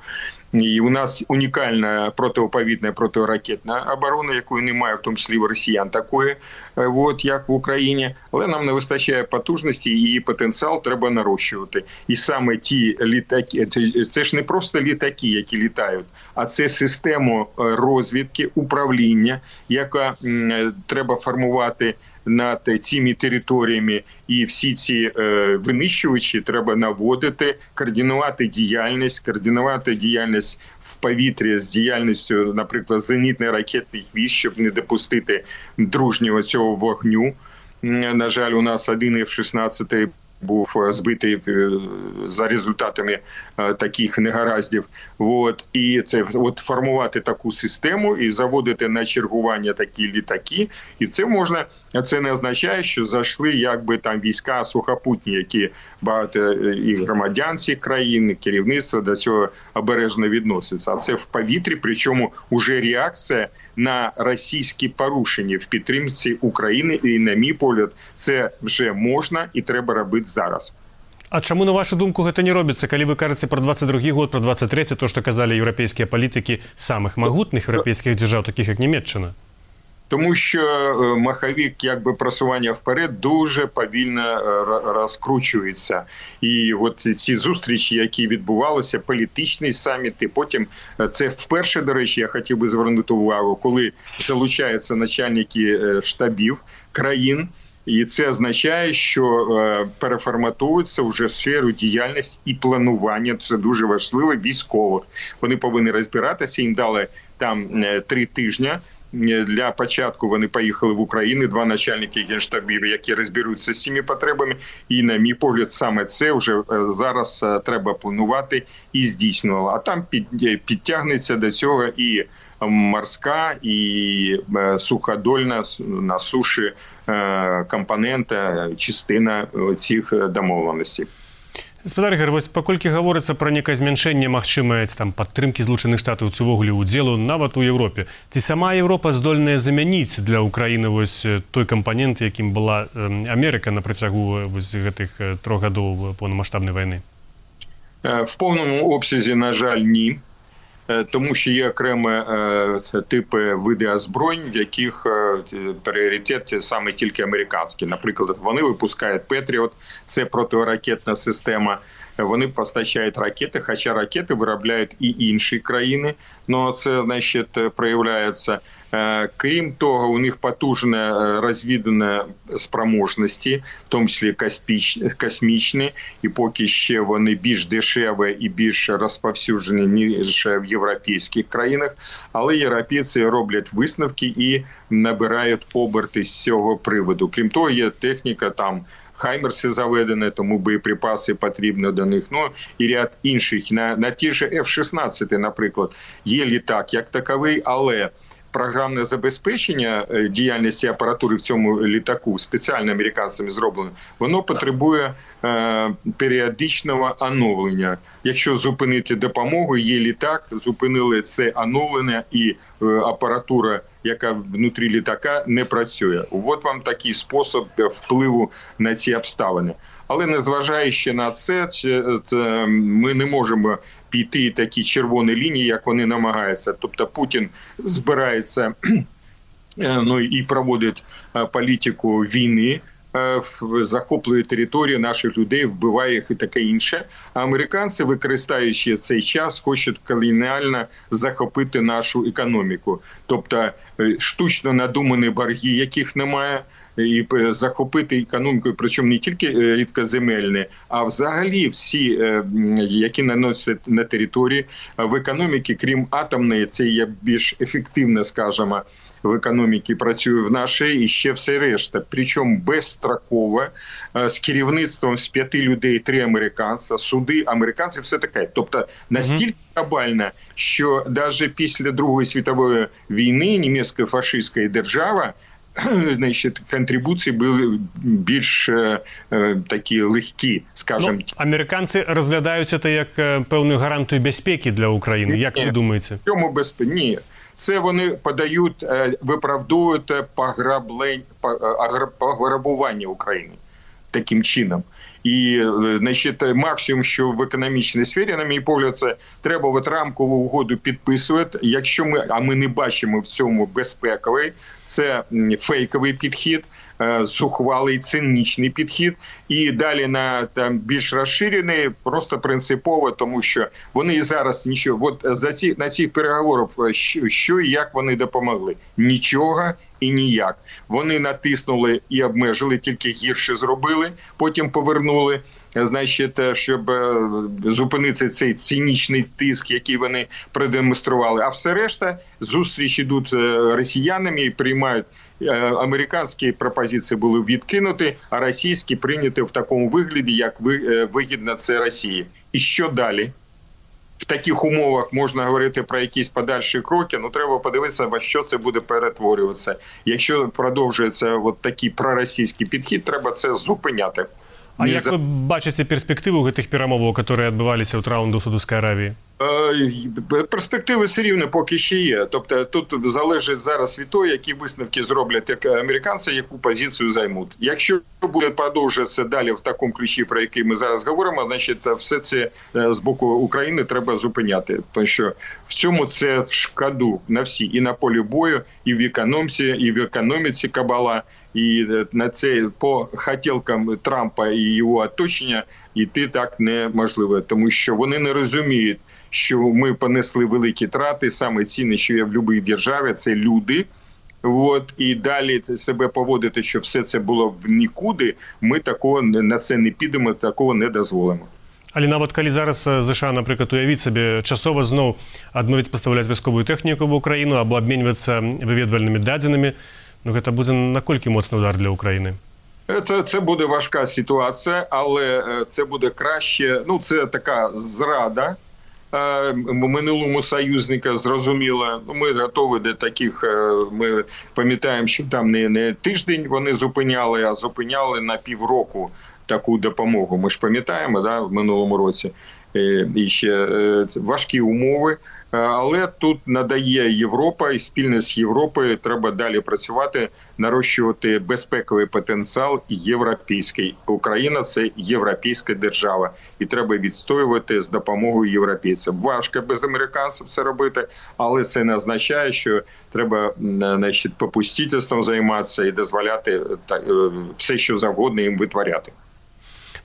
Speaker 4: І у нас унікальна протиповітряна протиракетна оборона, якої немає, в тому числі в росіян такої, от, як в Україні. Але нам не вистачає потужності, і її потенціал треба нарощувати. І саме ті літаки, це ж не просто літаки, які літають, а це система розвідки, управління, яка м, треба формувати над цими територіями, і всі ці е, винищувачі треба наводити, координувати діяльність, координувати діяльність в повітрі з діяльністю, наприклад, зенітно-ракетних військ, щоб не допустити дружнього цього вогню. На жаль, у нас один еф шістнадцять був збитий за результатами таких негараздів. От. І це от формувати таку систему і заводити на чергування такі літаки. І це можна, це не означає, що зайшли якби там війська сухопутні, які багато і громадян цих країн, і керівництво до цього обережно відноситься. А це в повітрі, причому уже реакція на російські порушення в підтримці України. І, на мій погляд, це вже можна і треба робити зараз.
Speaker 2: А чому, на вашу думку, гэта не робіцца, калі вы кажаце про двадцать другі год, про двадцать трэці, то, што казалі еўрапейскія палітыкі самых магутных еўрапейскіх дзяржаў, таких як Німеччина?
Speaker 4: Тому що маховик якби просування вперед дуже повільно розкручується. І от ці зустрічі, які відбувалися, політичні саміти, потім це вперше, до речі, я хотів би звернути увагу, коли залучаються начальники штабів країн, і це означає, що переформатуються вже в сферу діяльності і планування, це дуже важливо, військових. Вони повинні розбиратися, їм дали там три тижні. Для початку вони поїхали в Україну, два начальники генштабів, які розберуться з цими потребами. І, на мій погляд, саме це вже зараз треба планувати і здійснювати. А там підтягнеться до цього і морська і суходольна на суші компонента, частина цих домовленостей.
Speaker 2: Гаспадар Ігор, вось паколькі гаворыцца пра некае змяншэнне магчымае там падтрымкі Злучаных Штатаў ці ўвогуле ўдзелу нават у Еўропе, ці сама Еўропа здольная замяніць для Украіны вось той кампанент, якім была Амерыка на працягу вось гэтых трох гадоў поўнамаштабнай вайны?
Speaker 4: В повному обсязі, на жаль, ні. Тому що є окремі типи види озброєнь, в яких пріоритет саме тільки американський. Наприклад, вони випускають Петріот, це протиракетна система. Вони постачають ракети, хоча ракети виробляють і інші країни. Но це, значить, проявляється. Крім того, у них потужна розвідувальна спроможності, в тому числі космічні, і поки ще вони більш дешеві і більш розповсюджені, ніж в європейських країнах. Але європейці роблять висновки і набирають оберти з цього приводу. Крім того, є техніка там, Хаймерси заведені, тому боєприпаси потрібні до них. Ну, і ряд інших. На, на ті ж еф шістнадцять, наприклад, є літак як таковий, але програмне забезпечення діяльності апаратури в цьому літаку, спеціально американцями зроблено, воно потребує е, періодичного оновлення. Якщо зупинити допомогу, є літак, зупинили це оновлення і е, апаратура, яка внутрі літака, не працює. От вам такий спосіб впливу на ці обставини. Але незважаючи на це, ми не можемо піти такі червоні лінії, як вони намагаються. Тобто Путін збирається ну, і проводить політику війни, захоплює територію наших людей, вбиває їх і таке інше. А американці, використовуючи цей час, хочуть колоніально захопити нашу економіку. Тобто штучно надумані борги, яких немає, і захопити економіку, причому не тільки рідкоземельні, а взагалі всі, які наносять на території в економіці, крім атомної, це є більш ефективно, скажімо, в економіці працює в нашій, і ще все решта. Причому безстроково, з керівництвом з п'яти людей, три американця, суди американців, все таке. Тобто настільки глобально, що навіть після Другої світової війни німецька фашистська держава, значить, контрибуції були більш е, такі легкі, скажімо.
Speaker 2: Ну, американці розглядають це як певну гарантію безпеки для України. Як
Speaker 4: Ні,
Speaker 2: ви думаєте?
Speaker 4: Чому безпеки? Ні. Це вони подають, виправдовують пограбування України таким чином. І, значить, максимум, що в економічній сфері, на мій погляд, це треба от рамкову угоду підписувати. Якщо ми, а ми не бачимо в цьому безпековий, це фейковий підхід, зухвалий, цинічний підхід. І далі на там більш розширений, просто принципово, тому що вони і зараз нічого. От за ці на цих переговорах що, що і як вони допомогли? Нічого і ніяк. Вони натиснули і обмежили, тільки гірше зробили, потім повернули, значить, щоб зупинити цей цинічний тиск, який вони продемонстрували. А все решта, зустріч ідуть росіянами і приймають. Американські пропозиції були відкинуті, а російські прийняті в такому вигляді, як вигідно це Росії. І що далі? В таких умовах можна говорити про якісь подальші кроки, ну треба подивитися, во що це буде перетворюватися. Якщо продовжується от такий проросійський підхід, треба це зупиняти.
Speaker 2: А як ви бачите перспективу гэтых перамоваў, которые адбываліся ў раунду Саудовської Аравії?
Speaker 4: Перспективи все рівно поки ще є. Тобто тут залежить зараз від того, які висновки зроблять як американці, яку позицію займуть. Якщо буде продовжуватися далі в такому ключі, про який ми зараз говоримо, значить все це з боку України треба зупиняти. Тому що в цьому це в шкоду на всі. І на полі бою, і в економіці, і в економіці кабала. І на це по хотілкам Трампа і його оточення йти так неможливо. Тому що вони не розуміють, що ми понесли великі трати, саме цінне, що є в будь-якій державі, це люди. От, і далі себе поводити, що все це було в нікуди, ми такого, на це не підемо, такого не дозволимо.
Speaker 2: Але нават калі зараз США, наприклад, уявіць сабе часова зноў адмовіць пастаўляць вайсковую тэхніку в Украіну або абменьвацца выведвальнымі дадзенымі, ну гэта будзе наколькі моцны удар для України?
Speaker 4: Це, це буде важка ситуація, але це буде краще, ну це така зрада, минулому союзника, зрозуміло. Ми готові до таких, ми пам'ятаємо, що там не, не тиждень вони зупиняли, а зупиняли на півроку таку допомогу. Ми ж пам'ятаємо, да, в минулому році. І ще важкі умови. Але тут надає Європа, і спільно з Європою треба далі працювати, нарощувати безпековий потенціал європейський. Україна – це європейська держава, і треба відстоювати з допомогою європейців. Важко без американців це робити, але це не означає, що треба, значить, попустительством займатися і дозволяти все, що завгодно їм витворяти.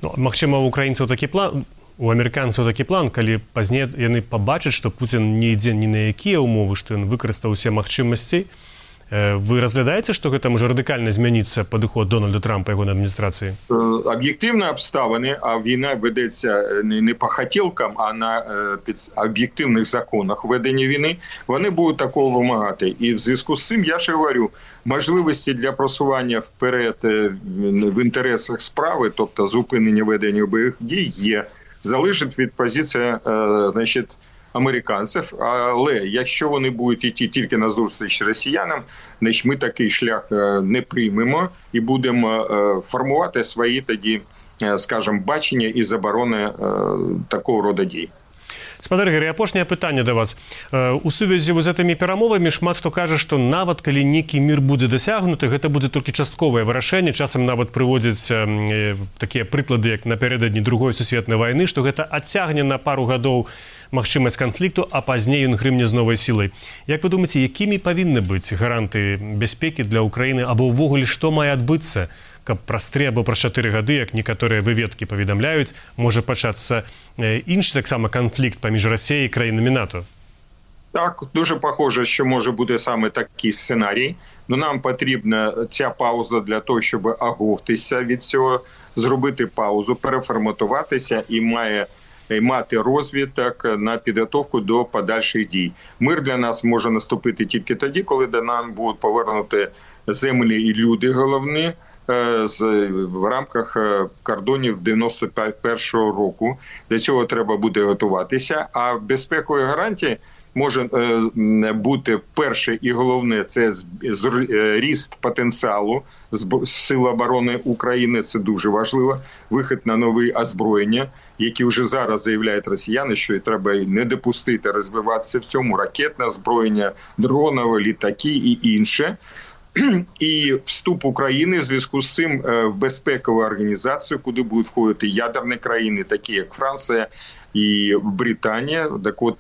Speaker 2: Ну, магчыма, у украінцаў такі план, у амерыканцаў такі план, калі пазней яны пабачаць, што Пуцін не ідзе ні на якія ўмовы, што ён выкарыстаў усе магчымасці. Вы разглядаеце, што гэта можа радыкальна змяніцца падыход Дональда Трампа і ягонай адміністрацыі?
Speaker 4: Об'єктивні обставини, а війна ведеться не по хотілкам, а на об'єктивних законах ведення війни, вони будуть такого вимагати. І в зв'язку з цим, я ще говорю, можливості для просування вперед в інтересах справи, тобто зупинення ведення бойових дій, є. Залежить від позиції, значить, американців, але якщо вони будуть йти тільки на зустріч росіянам, значить ми такий шлях не приймемо і будемо формувати свої тоді, скажімо, бачення і заборони такого роду дій.
Speaker 2: Спадар Ігор, апошняе пытанне да вас. У сувязі з гэтымі перамовамі шмат хто кажа, што нават калі нейкі мір будзе дасягнуты, гэта будзе толькі частковае вырашэнне, часам нават прыводзяць такія прыклады, як напярэдадні другой сусветнай вайны, што гэта адцягне на пару гадоў магчымасць канфлікту, а пазней ён грымне з новай сілай. Як вы думаеце, якімі павінны быць гаранты бяспекі для Украіны, або ўвогуле што мае адбыцца, каб праз тры або праз чатыры гады, як некаторыя выведкі паведамляюць, можа пачацца іншы таксама канфлікт паміж Расіяй і краінамі НАТО?
Speaker 4: Так, дуже похоже, що може бути саме такий сценарій. Но нам потрібна ця пауза для того, щоб оговтися від цього, зробити паузу, переформатуватися і має і мати розвиток на підготовку до подальших дій. Мир для нас може наступити тільки тоді, коли до нам будуть повернути землі і люди головні, в рамках кордонів дев'яносто першого року. Для цього треба буде готуватися. А безпекові гарантії може бути перше і головне – це ріст потенціалу Сил оборони України. Це дуже важливо. Вихід на нові озброєння, які вже зараз заявляють росіяни, що треба не допустити розвиватися в цьому. Ракетне озброєння, дронове, літаки і інше. І вступ України в зв'язку з цим в безпекову організацію, куди будуть входити ядерні країни, такі як Франція і Британія. Так от,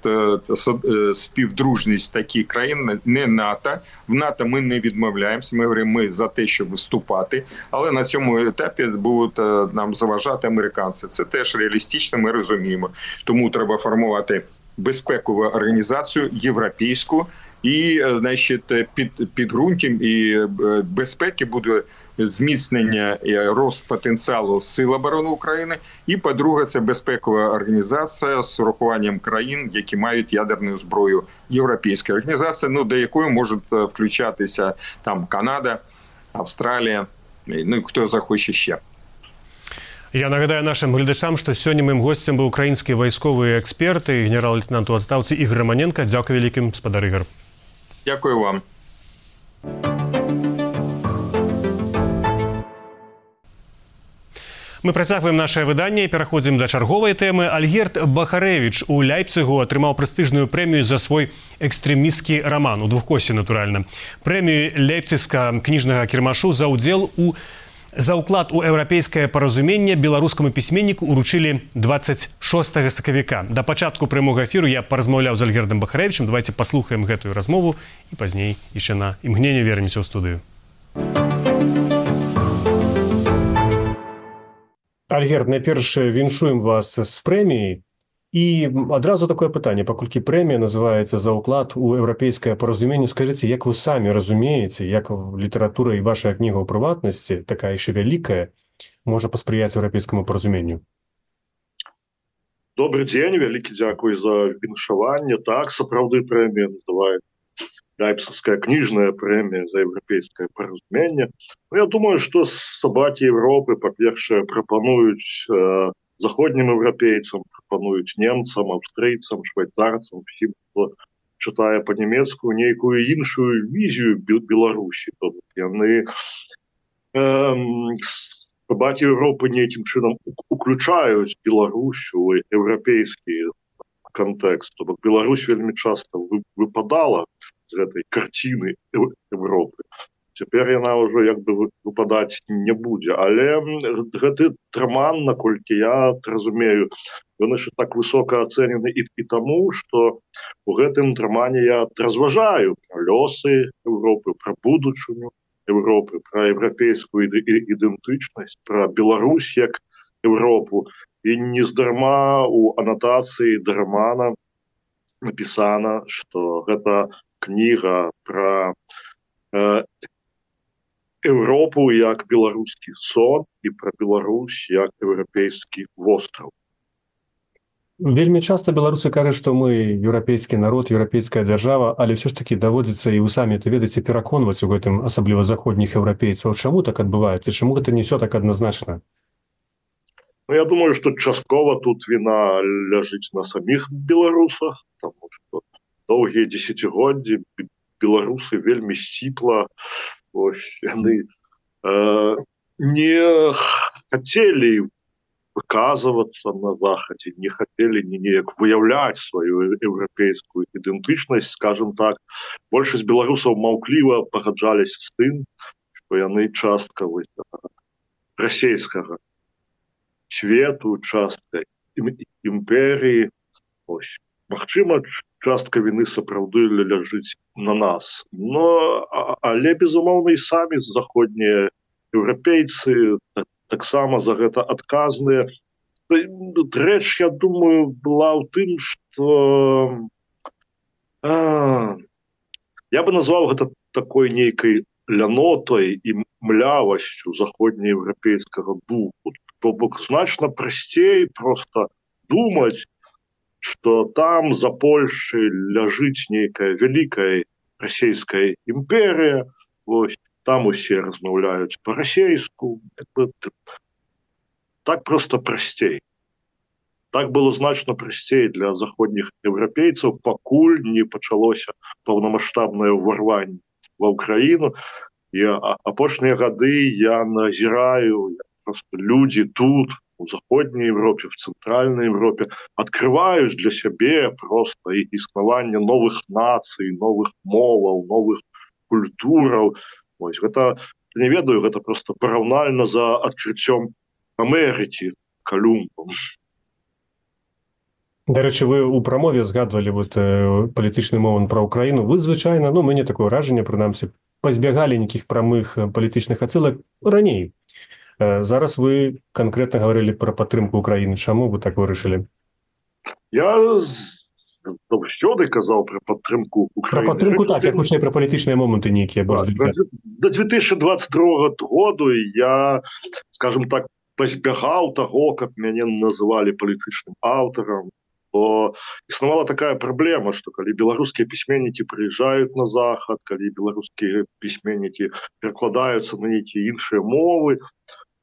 Speaker 4: співдружність таких країн, не НАТО. В НАТО ми не відмовляємося, ми говоримо, ми за те, щоб вступати. Але на цьому етапі будуть нам заважати американці. Це теж реалістично, ми розуміємо. Тому треба формувати безпекову організацію, європейську, і, значить, під підґрунтям і безпеки буде зміцнення і рост потенціалу Сил оборони України. І, по-друге, це безпекова організація з урахуванням країн, які мають ядерну зброю. Європейська організація, ну, до якої можуть включатися там Канада, Австралія, ну, хто захоче ще.
Speaker 2: Я нагадаю нашим глядачам, што сёння маім госцем быў украінскі вайсковы эксперт і генерал-лейтенант у адстаўцы Ігор Романенко. Дзякуй вялікім, спадар Ігор.
Speaker 4: Дякую вам.
Speaker 2: Мы працягваем нашае выданне і пераходзім да чарговай тэмы. Альгерд Бахарэвіч у Ляйпцыгу атрымаў прэстыжную прэмію за свой экстрэмісцкі раман, у двухкосці, натуральна. Прэмію Ляйпцыгскага кніжнага кірмашу за ўдзел у За ўклад у еўрапейскае паразуменне беларускаму пісьменніку уручылі дваццаць шостага сакавіка. Да пачатку прамога эфіру я паразмаўляў з Альгердам Бахарэвічам. Давайте паслухаем гэтую размову і пазней яшчэ на імгненне вернемся ў студыю. Альгерд, найперш віншуем вас з прэміяй. І адразу такое пытанне, паколькі прэмія называецца «За ўклад у еўрапейскае паразуменне». Скажыце, як вы самі разумееце, як літаратура і ваша кніга ў прыватнасці, такая яшчэ вялікая, можа паспрыяць еўрапейскаму паразуменню?
Speaker 5: Добрый дзень, вялікі дзякуй за віншаванне. Так, сапраўды прэмія называецца Ляйпцыгская кніжная прэмія за еўрапейскае паразуменне. Ну, я думаю, што сабакі Европы, па-першае, прапануюць э, заходнім еўрапейцам, прапануюць немцам, аўстрыйцам, швейцарцам, всім, хто чытае па-нямецку, нейкую іншую візію Беларусі. То яны баці Еўропы нейкім чынам уключаюць Беларусь у еўрапейскі кантэкст. То бок Беларусь вельмі часта выпадала з гэтай карціны Еўропы. Цяпер яна ўжо як бы выпадаць не будзе. Але гэты раман, наколькі я разумею, ён яшчэ так высока ацэнены і, і таму, што у гэтым рамане я разважаю пра лёсы Еўропы, пра будучыню Еўропы, пра еўрапейскую ідэнтычнасць, пра Беларусь як Еўропу. І нездарма у анатацыі да рамана напісана, што гэта кніга пра э, Еўропу як беларускі сон і пра Беларусь як еўрапейскі востраў.
Speaker 2: Вельмі часта беларусы кажуць, што мы еўрапейскі народ, еўрапейская дзяржава, але ўсё ж такі даводзіцца, і вы самі это ведаеце, пераконваць у гэтым, асабліва заходніх еўрапейцаў. Чаму так адбываецца? Чаму гэта не ўсё так адназначна?
Speaker 5: Ну, я думаю, што часткова тут віна ляжыць на саміх беларусах, таму што доўгія дзесяцігоддзі беларусы вельмі сціпла, ось, яны э, не хацелі выказвацца на захадзе, не хацелі неяк выяўляць сваю еўрапейскую ідэнтычнасць, скажем так. Большасць беларусаў маўкліва пагаджаліся з тым, што яны частка вось, расейскага свету, частка імперіі. Ось, магчыма, частка віны сапраўды ляжыць на нас. Но, але, безумоўна, і самі заходнія еўрапейцы таксама за гэта адказныя. Рэч, я думаю, была ў тым, што а, я бы назваў гэта такой нейкай лянотай і млявасцю заходнееўрапейскага духу. То бок значна прасцей проста думаць, што там за Польшай ляжыць нейкая вялікая расійская імперія, вось, там усе размаўляюць па-расейску. Так проста прасцей. Так было значна прасцей для заходніх еўрапейцаў, пакуль не пачалося паўнамаштабнае ўварванне ва ўкраіну. І апошнія гады я назіраю, просто людзі тут, у заходняй Европе, в цэнтральнай Европе, открываюць для сябе просто існаванне новых нацый, новых моваў, новых культураў. Ось, гэта, не ведаю, гэта просто параўнальна за адкрыццём Амерыкі Калумбам.
Speaker 2: Дарэчы, вы ў прамове згадвалі вот, э, палітычны момант пра Украіну. Вы звычайна, ну, мяне такое ўражанне, прынамсі, пазбягалі нейкіх прамых палітычных ацэлак раней. Э, зараз вы канкрэтна гаварылі пра падтрымку Украіны. Чаму вы так вырашылі?
Speaker 5: Я заўсёды казаў пра падтрымку Украіны.
Speaker 2: Пра падтрымку так, як гучней пра палітычныя моманты нейкія.
Speaker 5: Да, до две тысячи двадцать другого году я, скажем так, пазбягаў таго, каб мяне называлі палітычным аўтарам. То існавала такая праблема, што калі беларускія пісьменнікі прыязджаюць на захад, калі беларускія пісьменнікі перакладаюцца на нейкія іншыя мовы,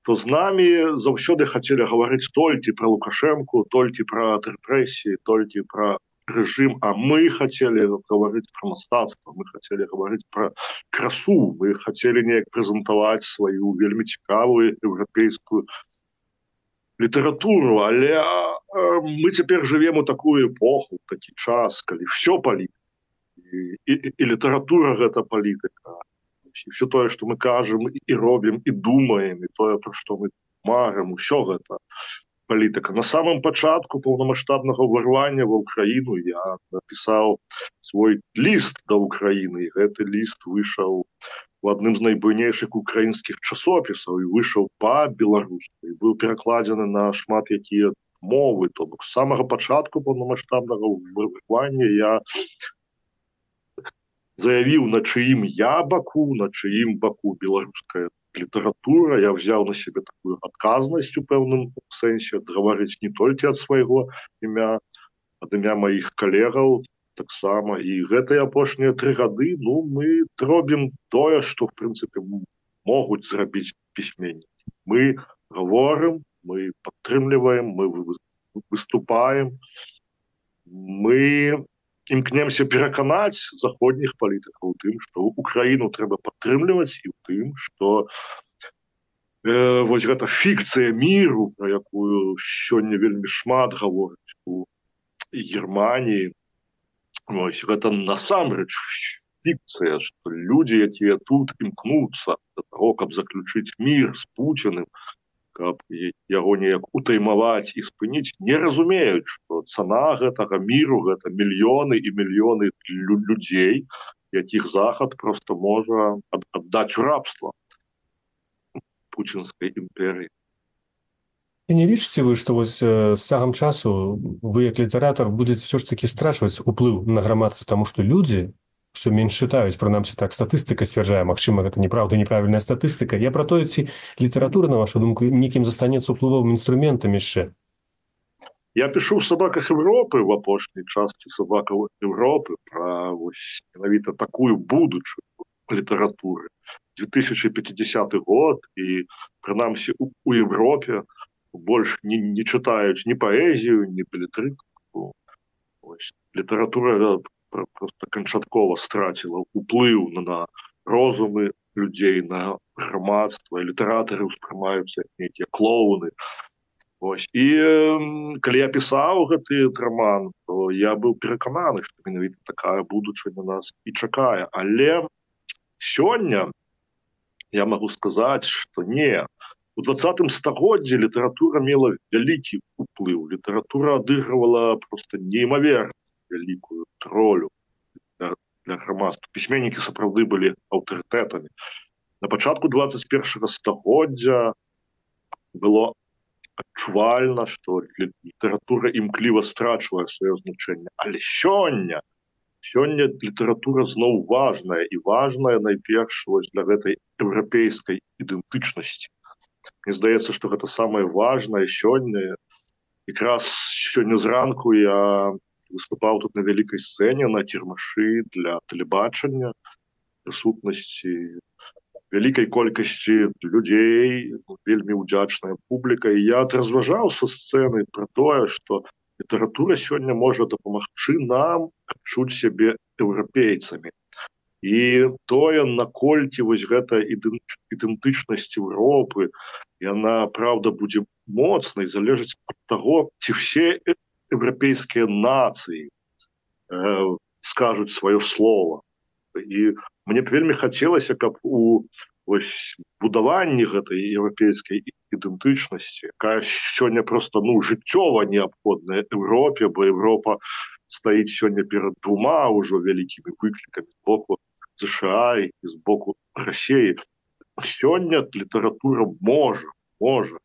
Speaker 5: то з намі заўсёды хацелі гаварыць толькі пра Лукашэнку, толькі пра рэпрэсіі, толькі пра рэжым, а мы хацелі гаварыць пра мастацтва, мы хацелі гаварыць пра красу, мы хацелі неяк прэзентаваць сваю вельмі цікавую еўрапейскую літаратуру, але э, мы цяпер жывем у такую эпоху, такі час, калі ўсё палітыка. І, і, і літаратура гэта палітыка. І все тое, што мы кажам і робім, і думаем, і тое, пра што мы марым, усё гэта палітыка. На самым пачатку паўнамаштабнага ўварвання ва ўкраіну я напісаў свой ліст да ўкраіны, і гэты ліст выйшаў в адным з найбуйнейшых украінскіх часопісаў і выйшаў па-беларуску і быў перакладзены на шмат якія мовы. То бок з самага пачатку паўнамаштабнага ўварвання я заявіў, на чыім я баку, на чыім баку беларуская літаратура. Я взяў на сябе такую адказнасць у пэўным сэнсе, гаварыць не толькі ад свайго імя, ад імя маіх калегаў таксама. І гэтыя апошнія тры гады, ну, мы робім тое, што, в прынцыпе, могуць зрабіць пісьменнікі. Мы гаворым мы падтрымліваем, мы выступаем, мы імкнемся пераканаць заходніх палітыкаў у тым, што Украіну трэба падтрымліваць, і ў тым, што э, вось гэта фікцыя міру, пра якую сёння вельмі шмат гаворыць у Германії, вось гэта насамрэч фікцыя, што людзі, якія тут імкнуцца да таго, каб заключыць мір з Пуціным, каб яго неяк утаймаваць і спыніць, не разумеюць, што цана гэтага міру гэта мільёны і мільёны людзей, якіх Захад проста можа аддаць у рабства пуцінскай імперыі.
Speaker 2: І не лічыце вы, што вось з цягам часу вы, як літаратар, будзеце ўсё ж такі страчваць уплыў на грамадства, таму што людзі все менш чытаюць, прынамсі так статыстыка сцвярджае, магчыма, гэта неправда, неправільная статыстыка. Я пра тое, ці літаратура, на вашу думку, нейкім застанецца ўплывовым інструментам яшчэ?
Speaker 5: Я пишу в «Собаках Европы» в апошняй части «Собакаў Европы» про вось, менавіта такую будучую літаратуры. две тысячи пятидесятый год, і прынамсі у, у Европе больш не, не чытаюць ні паэзію, ні белетрыстыку. Літаратура просто канчаткова страціла ўплыў на розумы людзей, на грамадства, і літаратары ўспрымаюцца як нейкія клоуны. Ось. І э, калі я пісаў гэты роман, то я быў перакананы, што менавіта такая будучыня нас і чакае. Але сёння я магу сказаць, што не. У двадцатым стагоддзі літаратура мела вялікі ўплыў. Літаратура адыгрывала проста неймаверна вялікую ролю для, для грамадства. Пісьменнікі сапраўды былі аўтарытэтамі. На пачатку двадцать першага стагоддзя было адчувальна, што літаратура імкліва страчвае сваё значэнне. Але сёння, сёння літаратура зноў важная, і важная найперш для гэтай еўрапейскай ідэнтычнасці. Мне здаецца, што гэта самае важнае сёння. Якраз сёння зранку я выступаў тут на вялікай сцэне, на кірмашы для тэлебачання, прысутнасці вялікай колькасці людзей, вельмі ўдзячная публіка. І я разважаў са сцэны пра тое, што літаратура сёння можа дапамагчы нам адчуць сябе еўрапейцамі. І тое, наколькі вось гэта ідэнтычнасць Еўропы, яна, праўда, будзе моцнай, залежыць ад таго, ці ўсе еўрапейскія нацыі э, скажуць сваё слово. І мне б вельмі хацелася, каб у вось, будаванні гэтай еўрапейскай ідэнтычнасці, якая сёння проста ну, жыццёва неабходная Еўропе, бо Еўропа стаіць сёння перад двума ўжо вялікімі выклікамі з боку США і з боку Расіі. Сёння літаратура можа, можа,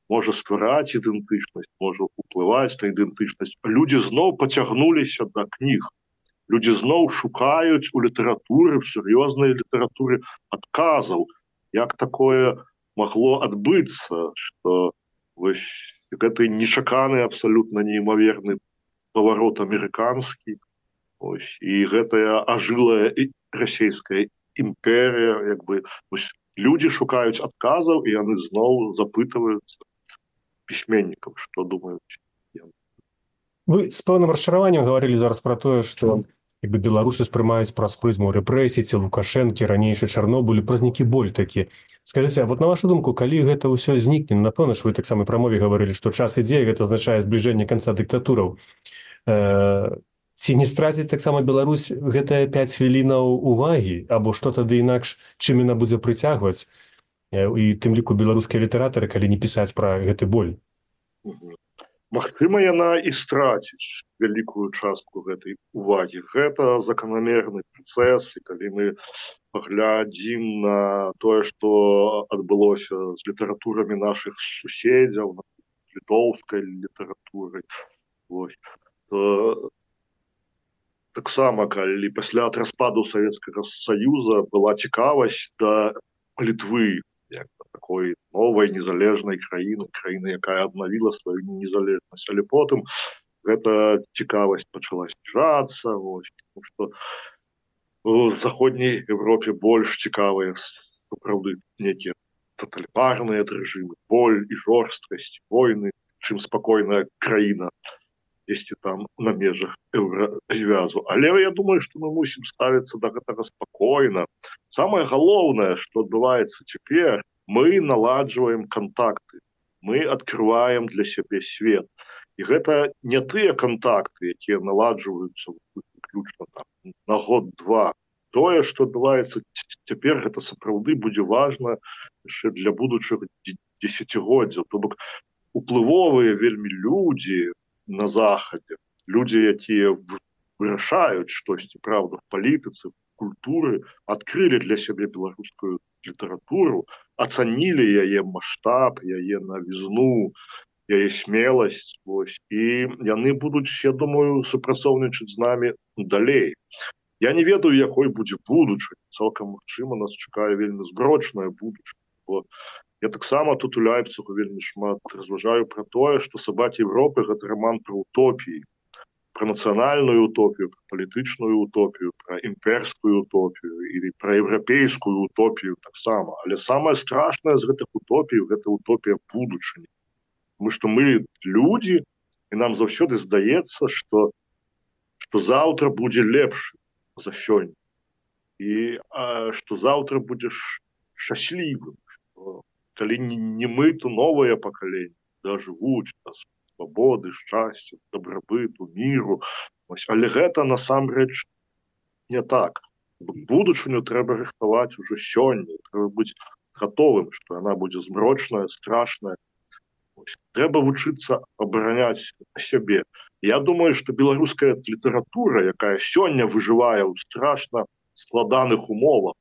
Speaker 5: можа ствараць ідэнтычнасць, можа ўплываць на ідэнтычнасць. Людзі зноў пацягнуліся да кніг. Людзі зноў шукаюць у літаратуры, в сур'ёзнай літаратуры адказаў, як такое магло адбыцца, што вось, гэты нечаканы, абсалютна неймаверны паварот амерыканскі, ось, і гэтая ажылая расійская імперія, як бы, ось, людзі шукаюць адказаў, і яны зноў запытваюцца пісьменнікам, што думаюць.
Speaker 2: Вы з пэўным расчараваннем гаварылі зараз пра тое, што як бы беларусы спрымаюць праз прызму рэпрэсій, ці Лукашэнкі, ранейшы Чарнобыль, праз нейкі боль такі. Скажыце, а вот на вашу думку, калі гэта ўсё знікне, напэўна ж вы таксама пра мове гаварылі, што час ідзе, гэта азначае збліжэнне канца дыктатураў. Э, ці не страціць таксама Беларусь гэтыя пяць хвілінаў увагі, або што тады інакш, чым яна будзе прыцягваць, і тым ліку беларускія літаратары, калі не пісаць пра гэты боль?
Speaker 5: Магчыма, яна і страціць вялікую частку гэтай увагі. Гэта заканамерны працэс, і калі мы паглядзім на тое, што адбылося з літаратурамі нашых суседзяў, літоўскай літаратурай, вось, то таксама, калі пасля распаду Савецкага Саюза была цікавасць да Літвы, як такой новай незалежнай краіны, краіны, якая аднавіла сваю незалежнасць, але потым гэта цікавасць пачала зніжацца, вось, тому што у заходняй Европе больш цікавыя сапраўды нейкія тоталітарныя рэжымы, боль і жорсткасць, войны, чым спакойная краіна дзесьці там на межах еўразвязу. Але я думаю, што мы мусім ставіцца да гэтага спакойна. Самае галоўнае, што адбываецца цяпер, мы наладжваем кантакты, мы адкрываем для сябе свет. І гэта не тыя кантакты, якія наладжваюцца выключна там на год-два. Тое, што адбываецца цяпер, гэта сапраўды будзе важна яшчэ для будучых дзесяцігоддзяў. То бок уплывовыя вельмі людзі на захадзе, людзі, якія вырашаюць штосьці, правда, в палітыцы, в культуры, адкрылі для сябе беларускую літаратуру, ацанілі яе маштаб, яе навізну, яе смеласць, вось, і яны будуць, я думаю, супрацоўнічаць з намі далей. Я не ведаю, якой будзе будучыня. Цалкам магчыма, нас чакае вельмі зброчная будучыня. Бо я таксама тут у Лейпцигу вельмі шмат разважаю пра тое, што «Сабакі Европы» — гэта раман пра утопіі, пра нацыянальную утопію, пра палітычную утопію, пра імперскую утопію і пра еўрапейскую утопію таксама. Але самае страшнае з гэтых утопій — гэта утопія будучыні. Таму што мы людзі, і нам заўсёды здаецца, што што заўтра будзе лепш за сёння. І а, што заўтра будзеш шчаслівым. Што, калі не, не мы, то новае пакаленне дажывуць да свабоды, шчасця, дабрабыту, міру. Ось, але гэта насамрэч не так. Будучыню трэба рыхтаваць ужо сёння. Трэба быць гатовым, што яна будзе змрочная, страшная. Ось, трэба вучыцца абараняць сябе. Я думаю, што беларуская літаратура, якая сёння выжывае ў страшна складаных умовах,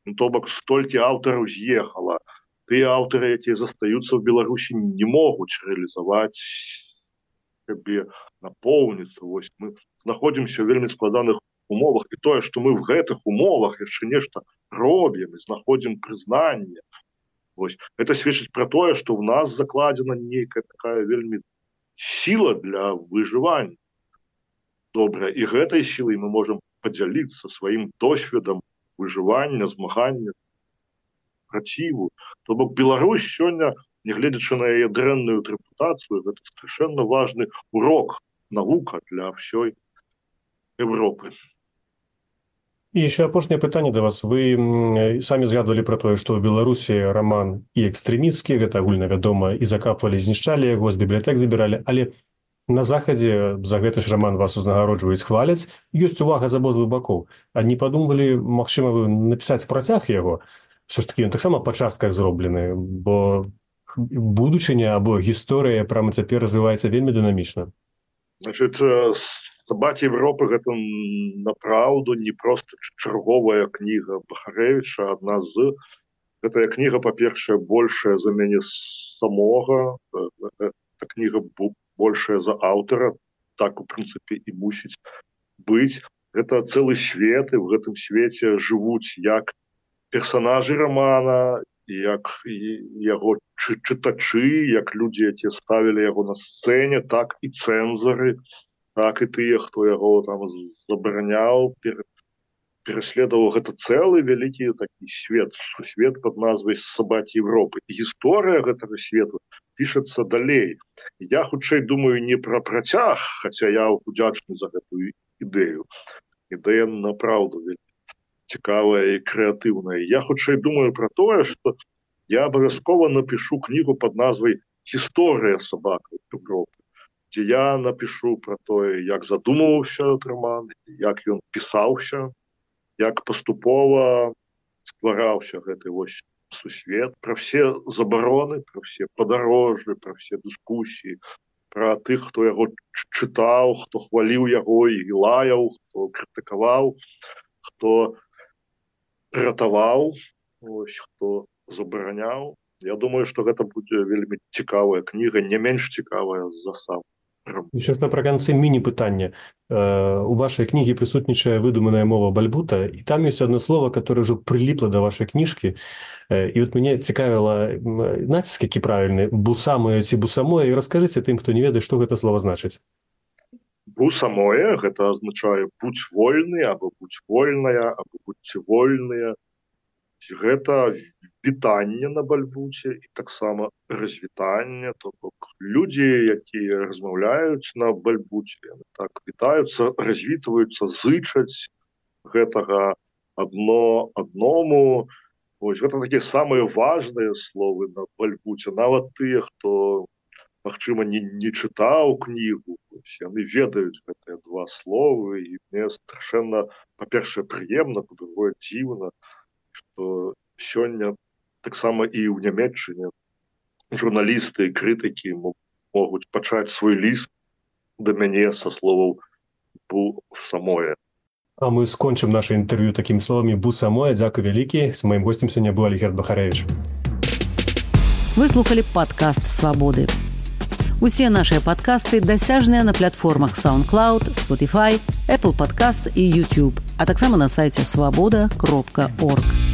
Speaker 5: ну, то бок столькі аўтараў з'ехала, тыя аўтары, якія застаюцца ў Беларусі, не могуць рэалізаваць сябе, напоўніцца. Вось, мы знаходзімся ў вельмі складаных умовах, і тое, што мы в гэтых умовах яшчэ нешта робім і знаходзім прызнанне. Вось, гэта сведчыць пра тое, што ў нас закладзена нейкая такая вельмі сила для выжывання. Добра, і гэтай сілай мы можам падзяліцца сваім досведам выжывання, змагання, праціву. То бок Беларусь сёння, нягледзячы на яе дрэнную рэпутацыю, гэта страшэнна важны урок, навука для ўсёй Европы.
Speaker 2: І яшчэ апошняе пытанне да вас. Вы самі згадвалі пра тое, што ў Беларусі раман і экстрэмісцкі, гэта агульнавядома, і закапвалі, знішчалі яго, з бібліятэк забіралі, але на захадзе за гэты ж раман вас узнагароджваюць, хваляць, ёсць увага з абодвух бакоў. А не падумалі, магчыма, вы напісаць працяг яго? Все ж такі ён таксама па частках зроблены, бо будучыня або гісторыя прямо цяпер развіваецца вельмі дынамічна.
Speaker 5: Значит, «Сабакі Европы» — гэта направду не проста чарговая кніга Бахарэвіча, адна з. Гэтая кніга, па-першае, большая за мяне самога, гэта кніга большая за аўтара, так, у прынцыпе, і мусіць быць. Гэта цэлы свет, і в гэтым свеце жывуць як персонажы романа, як яго чытачы, як людзі, якія ставілі яго на сцэне, так і цэнзары, так і тыя, хто яго там забараняў, пераследаваў. Гэта цэлы вялікі такі свет, сусвет пад назвай «Сабакі Европы». І гісторыя гэтага свету пішацца далей. Я хутчэй думаю не пра працяг, хаця я удзячны за гэтую ідэю. Ідэя направду вельмі цікавая і крэатыўная. Я хутчэй думаю пра тое, што я абавязкова напішу кнігу пад назвай «Гісторыя сабакаў Европы», дзе я напішу пра тое, як задумываўся роман, як ён пісаўся, як паступова ствараўся гэты вось сусвет, пра все забароны, пра все падарожжы, пра все дыскусіі, пра тых, хто яго чытаў, хто хваліў яго і лаяў, хто крытыкаваў, хто ратаваў, ось, хто забараняў. Я думаю, што гэта будзе вельмі цікавая кніга, не менш цікавая за сам.
Speaker 2: Еще ж напрыканцы міні-пытання. У вашай кнігі прысутнічае выдуманая мова бальбута, і там ёсць одно слово, которое ўжо прыліпла да вашай кніжкі. І вот мяне цікавіла, націск які правільны, бусамое ці бусамое, і раскажыце тым, хто не ведае, што гэта слово значыць.
Speaker 5: Бусамое — гэта азначае будь вольны, або будь вольная, або будьце вольныя. Гэта вітання на бальбуце і таксама развітання, то бок людзі, якія размаўляюць на бальбуце, яны так вітаюцца, развітваюцца, зычаць гэтага адно адному. Вось гэта такія самыя важныя словы на бальбуце, нават тыя, хто магчыма не, не чытаў кнігу, яны ведаюць гэтыя два словы, і мне страшэнна, па-першае, прыемна, па-другое, дзіўна, што сёння таксама і ў Нямецчыне журналісты і крытыкі могуць пачаць свой ліст да мяне са словаў «бу самое».
Speaker 2: А мы скончым наше інтэрв'ю такімі словамі «бу самое». Дзякуй вялікі. С маім гостем сёння быў Алігерд Бахарэвіч.
Speaker 1: Вы слухали падкаст «Свабоды». Усе нашыя падкасты дасяжныя на платформах SoundCloud, Spotify, Apple Podcasts і YouTube, а таксама на сайце свабода кропка орг.